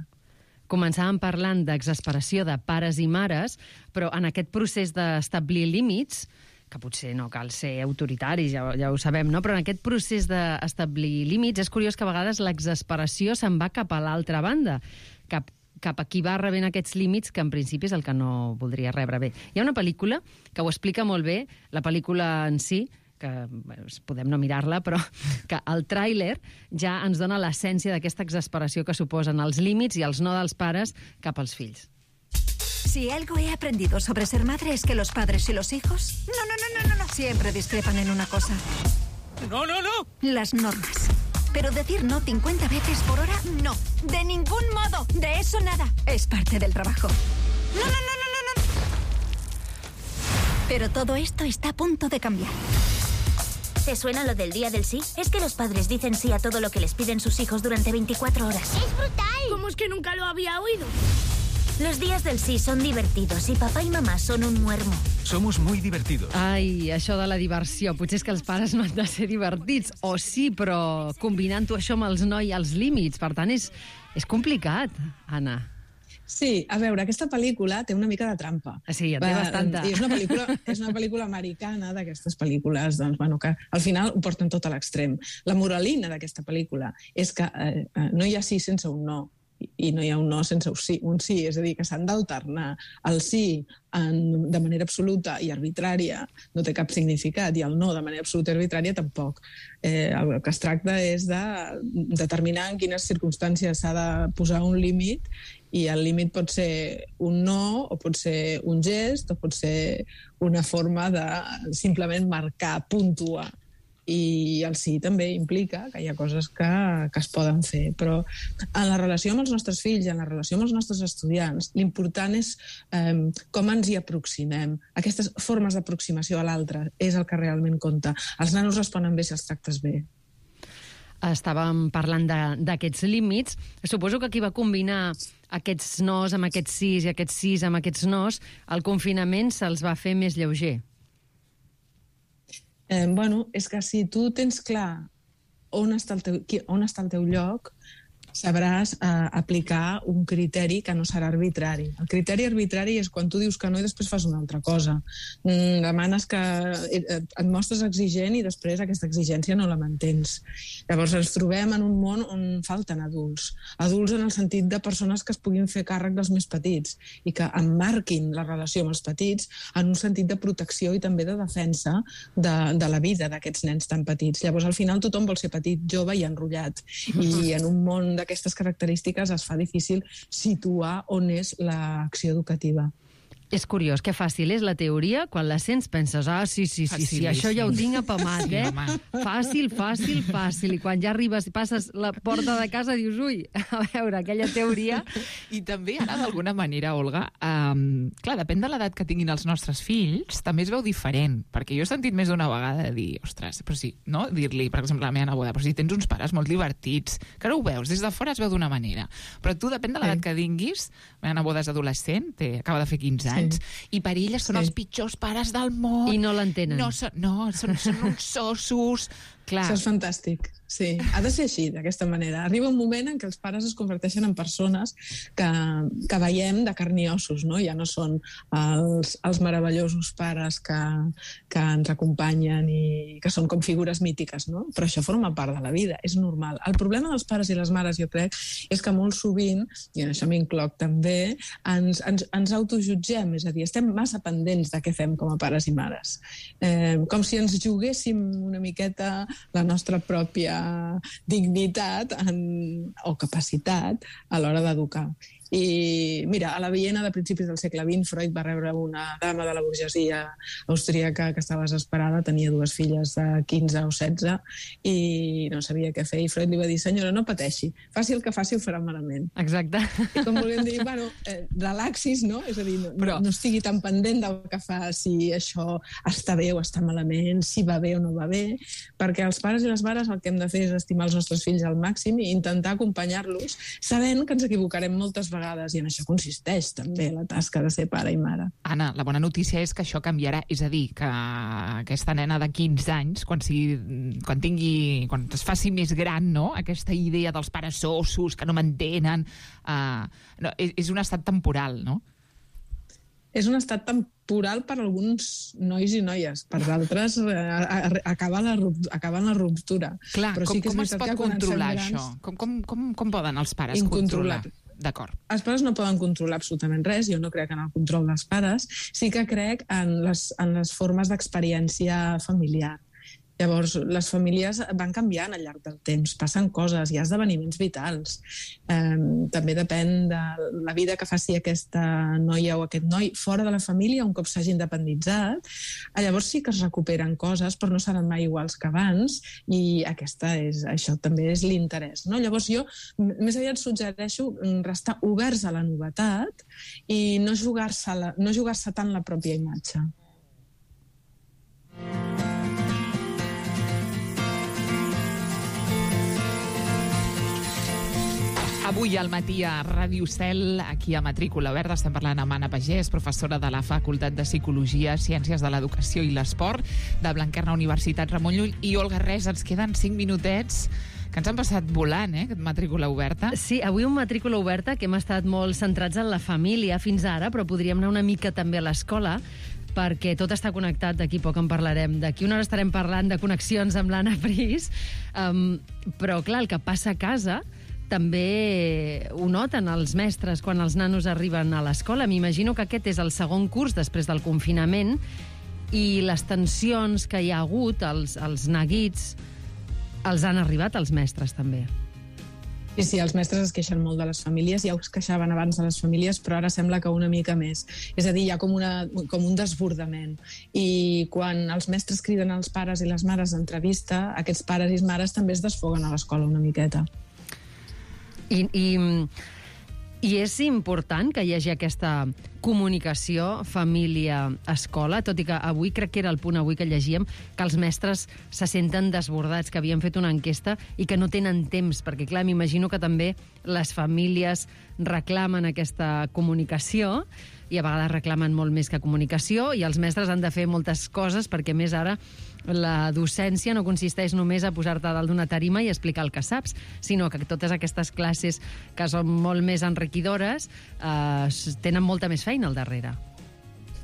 Començàvem parlant d'exasperació de pares i mares, però en aquest procés d'establir límits, que potser no cal ser autoritaris, ja ho sabem, no? Però en aquest procés d'establir límits és curiós que a vegades l'exasperació se'n va cap a l'altra banda, cap a qui va rebent aquests límits, que en principi és el que no voldria rebre. Bé, hi ha una pel·lícula que ho explica molt bé, la pel·lícula en si, que podem no mirar-la, però que el tràiler ja ens dona l'essència d'aquesta exasperació que suposen els límits i els no dels pares cap als fills. Si algo he aprendido sobre ser madre es que los padres y los hijos no siempre discrepan en una cosa. No. Las normas. Pero decir no 50 veces por hora, no. De ningún modo. De eso nada. Es parte del trabajo. No. Pero todo esto está a punto de cambiar. ¿Te suena lo del día del sí? Es que los padres dicen sí a todo lo que les piden sus hijos durante 24 horas. ¡Es brutal! ¿Cómo es que nunca lo había oído? Los días del sí son divertidos y papá y mamá son un muermo. Somos muy divertidos. Ai, això de la diversió. Potser és que els pares no han de ser divertits. O sí, però combinant-ho això amb els no i els límits. Per tant, és complicat, Anna. Sí, a veure, aquesta pel·lícula té una mica de trampa. Sí, en té bastanta. I és una pel·lícula americana, d'aquestes pel·lícules, doncs, bueno, que al final ho porten tot a l'extrem. La moralina d'aquesta pel·lícula és que no hi ha sí sense un no, i no hi ha un no sense un sí, és a dir, que s'han d'alternar. El sí de manera absoluta i arbitrària no té cap significat, i el no de manera absoluta i arbitrària tampoc. El que es tracta és de determinar en quines circumstàncies s'ha de posar un límit, i el límit pot ser un no, o pot ser un gest, o pot ser una forma de simplement marcar, puntuar. I el sí també implica que hi ha coses que es poden fer, però en la relació amb els nostres fills i en la relació amb els nostres estudiants, l'important és com ens hi aproximem. Aquestes formes d'aproximació a l'altre és el que realment compta. Els nanos responen bé si els tractes bé. Estàvem parlant d'aquests límits. Suposo que qui va combinar aquests nos amb aquests sís i aquests sís amb aquests nos, el confinament se'ls va fer més lleuger. Bueno, és que si tu tens clar on està el teu lloc, sabràs aplicar un criteri que no serà arbitrari. El criteri arbitrari és quan tu dius que no i després fas una altra cosa. Demanes que et mostres exigent i després aquesta exigència no la mantens. Llavors ens trobem en un món on falten adults. Adults en el sentit de persones que es puguin fer càrrec dels més petits i que emmarquin la relació amb els petits en un sentit de protecció i també de defensa de la vida d'aquests nens tan petits. Llavors al final tothom vol ser petit, jove i enrotllat. I en un món d'aquestes característiques es fa difícil situar on és l'acció educativa. És curiós, que fàcil és la teoria, quan la sents penses, sí, això ja ho tinc apamat, Fàcil. I quan ja arribes i passes la porta de casa dius, ui, a veure, aquella teoria... I també ara, d'alguna manera, Olga, clar, depèn de l'edat que tinguin els nostres fills, també es veu diferent, perquè jo he sentit més d'una vegada dir, ostres, però sí, no? Dir-li, per exemple, a la meva neboda, però si tens uns pares molt divertits, que ara ho veus, des de fora es veu d'una manera, però tu, depèn de l'edat que tinguis, la meva neboda és adolescent, acaba de fer 15 anys, i per elles són els pitjors pares del món. I no l'entenen. Són uns ossos. Clar. Això és fantàstic, sí. Ha de ser així, d'aquesta manera. Arriba un moment en què els pares es converteixen en persones que veiem de carn i ossos, no? Ja no són els meravellosos pares que ens acompanyen i que són com figures mítiques, no? Però això forma part de la vida, és normal. El problema dels pares i les mares, jo crec, és que molt sovint, i en això m'incloc també, ens autojutgem, és a dir, estem massa pendents de què fem com a pares i mares. Com si ens juguéssim una miqueta la nostra pròpia dignitat o capacitat a l'hora d'educar. I mira, a la Viena de principis del segle XX, Freud va rebre una dama de la burgesia austríaca que estava desesperada, tenia 2 filles de 15 o 16 i no sabia què fer, i Freud li va dir, senyora, no pateixi, faci el que faci ho farà malament. Exacte. I com volíem dir, bueno, relaxis, no? És a dir, no estigui tan pendent del que fa, si això està bé o està malament, si va bé o no va bé, perquè els pares i les mares el que hem de fer és estimar els nostres fills al màxim i intentar acompanyar-los, sabent que ens equivocarem moltes vegades, i en això consisteix també la tasca de ser pare i mare. Anna, la bona notícia és que això canviarà, és a dir, que aquesta nena de 15 anys, quan es faci més gran, no? Aquesta idea dels pares ossos que no m'entenen, és un estat temporal, no? és un estat temporal per alguns nois i noies, per d'altres acaben la ruptura. Clar, però sí que com es pot controlar això? Com poden els pares controlar? D'acord. Els pares no poden controlar absolutament res, jo no crec en el control dels pares, sí que crec en les formes d'experiència familiar. Llavors, les famílies van canviant al llarg del temps, passen coses, hi ha esdeveniments vitals. També depèn de la vida que faci aquesta noia o aquest noi fora de la família un cop s'hagi independitzat. Llavors sí que es recuperen coses, però no seran mai iguals que abans, i això també és l'interès. No? Llavors jo més aviat suggereixo restar oberts a la novetat i no jugar-se tant la pròpia imatge. Avui al matí a Ràdio Cel, aquí a Matrícula Verda, estem parlant amb Anna Pagès, professora de la Facultat de Psicologia, Ciències de l'Educació i l'Esport de Blanquerna Universitat Ramon Llull, i Olga Res, ens queden 5 minutets que ens han passat volant, aquest Matrícula Oberta. Sí, avui un Matrícula Oberta que hem estat molt centrats en la família fins ara, però podríem anar una mica també a l'escola, perquè tot està connectat, d'aquí poc en parlarem. D'aquí una hora estarem parlant de connexions amb l'Anna Pris, però clar, el que passa a casa també ho noten els mestres quan els nanos arriben a l'escola. M'imagino que aquest és el segon curs després del confinament i les tensions que hi ha hagut, els neguits, els han arribat als mestres també. Sí, els mestres es queixen molt de les famílies, ja es queixaven abans de les famílies, però ara sembla que una mica més. És a dir, hi ha com un desbordament. I quan els mestres criden als pares i les mares d'entrevista, aquests pares i mares també es desfoguen a l'escola una miqueta. I és important que hi hagi aquesta comunicació família-escola, tot i que avui, crec que era el punt avui que llegíem, que els mestres se senten desbordats, que havien fet una enquesta i que no tenen temps, perquè clar, m'imagino que també les famílies reclamen aquesta comunicació i a vegades reclamen molt més que comunicació i els mestres han de fer moltes coses perquè més ara la docència no consisteix només a posar-te a dalt d'una tarima i explicar el que saps, sinó que totes aquestes classes que són molt més enriquidores tenen molta més feina al darrere.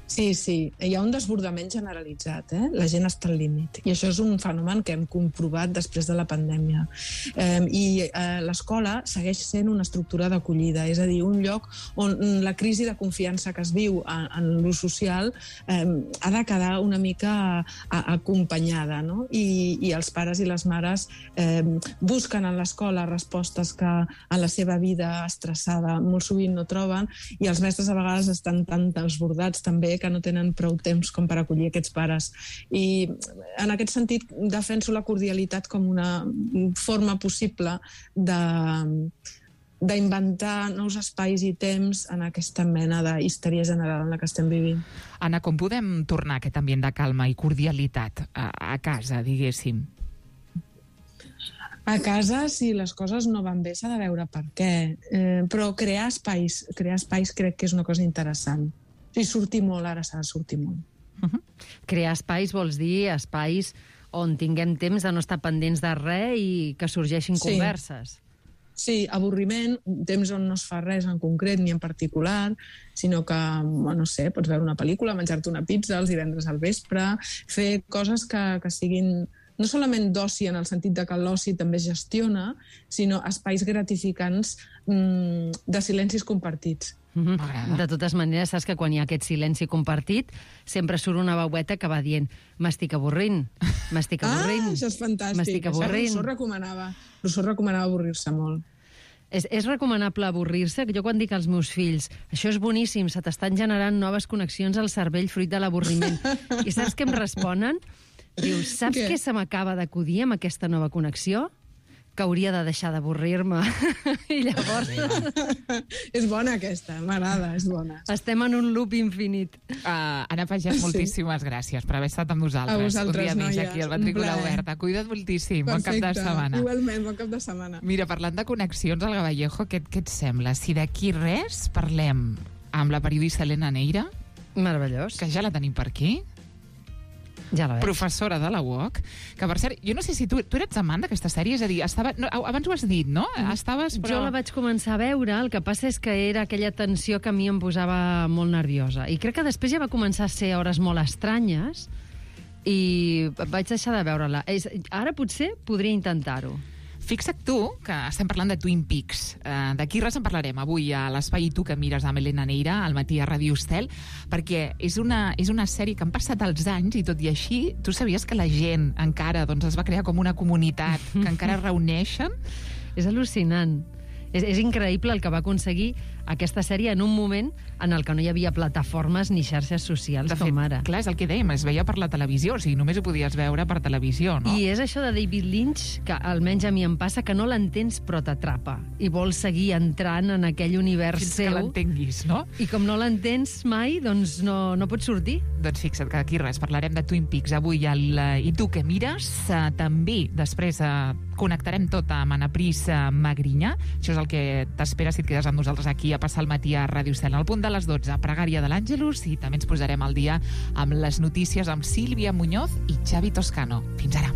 Sí, hi ha un desbordament generalitzat, la gent està al límit. I això és un fenomen que hem comprovat després de la pandèmia. I l'escola segueix sent una estructura d'acollida, és a dir, un lloc on la crisi de confiança que es viu en l'ús social ha de quedar una mica acompanyada, no? I els pares i les mares busquen en l'escola respostes que en la seva vida estressada molt sovint no troben, i els mestres a vegades estan tan desbordats també que no tenen prou temps com per acollir aquests pares. I en aquest sentit defenso la cordialitat com una forma possible d'inventar nous espais i temps en aquesta mena de histèria general en la que estem vivint. Anna, com podem tornar a aquest ambient de calma i cordialitat a casa, diguéssim? A casa, si les coses no van bé, s'ha de veure per què. Però crear espais crec que és una cosa interessant. Si sortir molt, ara s'ha de sortir molt. Crear espais vols dir espais on tinguem temps de no estar pendents de res i que sorgeixin converses. Sí, avorriment, temps on no es fa res en concret ni en particular, sinó que, no sé, pots veure una pel·lícula, menjar-te una pizza els divendres al vespre, fer coses que siguin no solament d'oci en el sentit de que l'oci també es gestiona, sinó espais gratificants de silencis compartits. De totes maneres, saps que quan hi ha aquest silenci compartit sempre surt una veueta que va dient m'estic avorrint. Això és fantàstic. Rousseau recomanava avorrir-se molt. És recomanable avorrir-se? Jo quan dic als meus fills això és boníssim, se t'estan generant noves connexions al cervell fruit de l'avorriment. I saps què em responen? Diu, saps què se m'acaba d'acudir amb aquesta nova connexió? Que hauria de deixar d'avorrir-me. I llavors... És bona aquesta, m'agrada, és bona. Estem en un loop infinit. Anna Pagès, moltíssimes gràcies per haver estat amb nosaltres. A vosaltres, un dia més aquí al Matrícula Oberta. Cuida't moltíssim. Bon cap de setmana. Igualment, bon cap de setmana. Mira, parlant de connexions, Olga Vallejo, què et sembla? Si d'aquí res parlem amb la periodista Helena Neira... Meravellós. Que ja la tenim per aquí. Ja la veig. Professora de la UOC, que per cert, jo no sé si tu eres amant d'aquesta sèrie, és a dir, abans ho has dit, no? Estaves, però... Jo la vaig començar a veure, el que passa és que era aquella tensió que a mi em posava molt nerviosa. I crec que després ja va començar a ser hores molt estranyes i vaig deixar de veure-la. Ara potser podria intentar-ho. Fixa't tu que estem parlant de Twin Peaks. D'aquí res en parlarem avui a l'Espai Tu que mires amb Elena Neira, al matí a Ràdio Estel, perquè és una sèrie que han passat els anys i tot i així, tu sabies que la gent encara es va crear com una comunitat que encara reuneixen? És al·lucinant. És increïble el que va aconseguir aquesta sèrie en un moment en el que no hi havia plataformes ni xarxes socials com ara. Clar, és el que dèiem, es veia per la televisió, o sigui, només ho podies veure per televisió, no? I és això de David Lynch, que almenys a mi em passa, que no l'entens però t'atrapa, i vols seguir entrant en aquell univers seu. Fins que l'entenguis, no? I com no l'entens mai, doncs no pots sortir. Doncs fixa't que aquí res, parlarem de Twin Peaks avui I tu què mires? També després connectarem tot amb Anna Pris Magrinyà. Això és el que t'espera si et quedes amb nosaltres aquí a passar el matí a Ràdio Estel. Al punt de les 12, Pregària de l'Àngelus, i també ens posarem al dia amb les notícies amb Sílvia Muñoz i Xavi Toscano. Fins ara.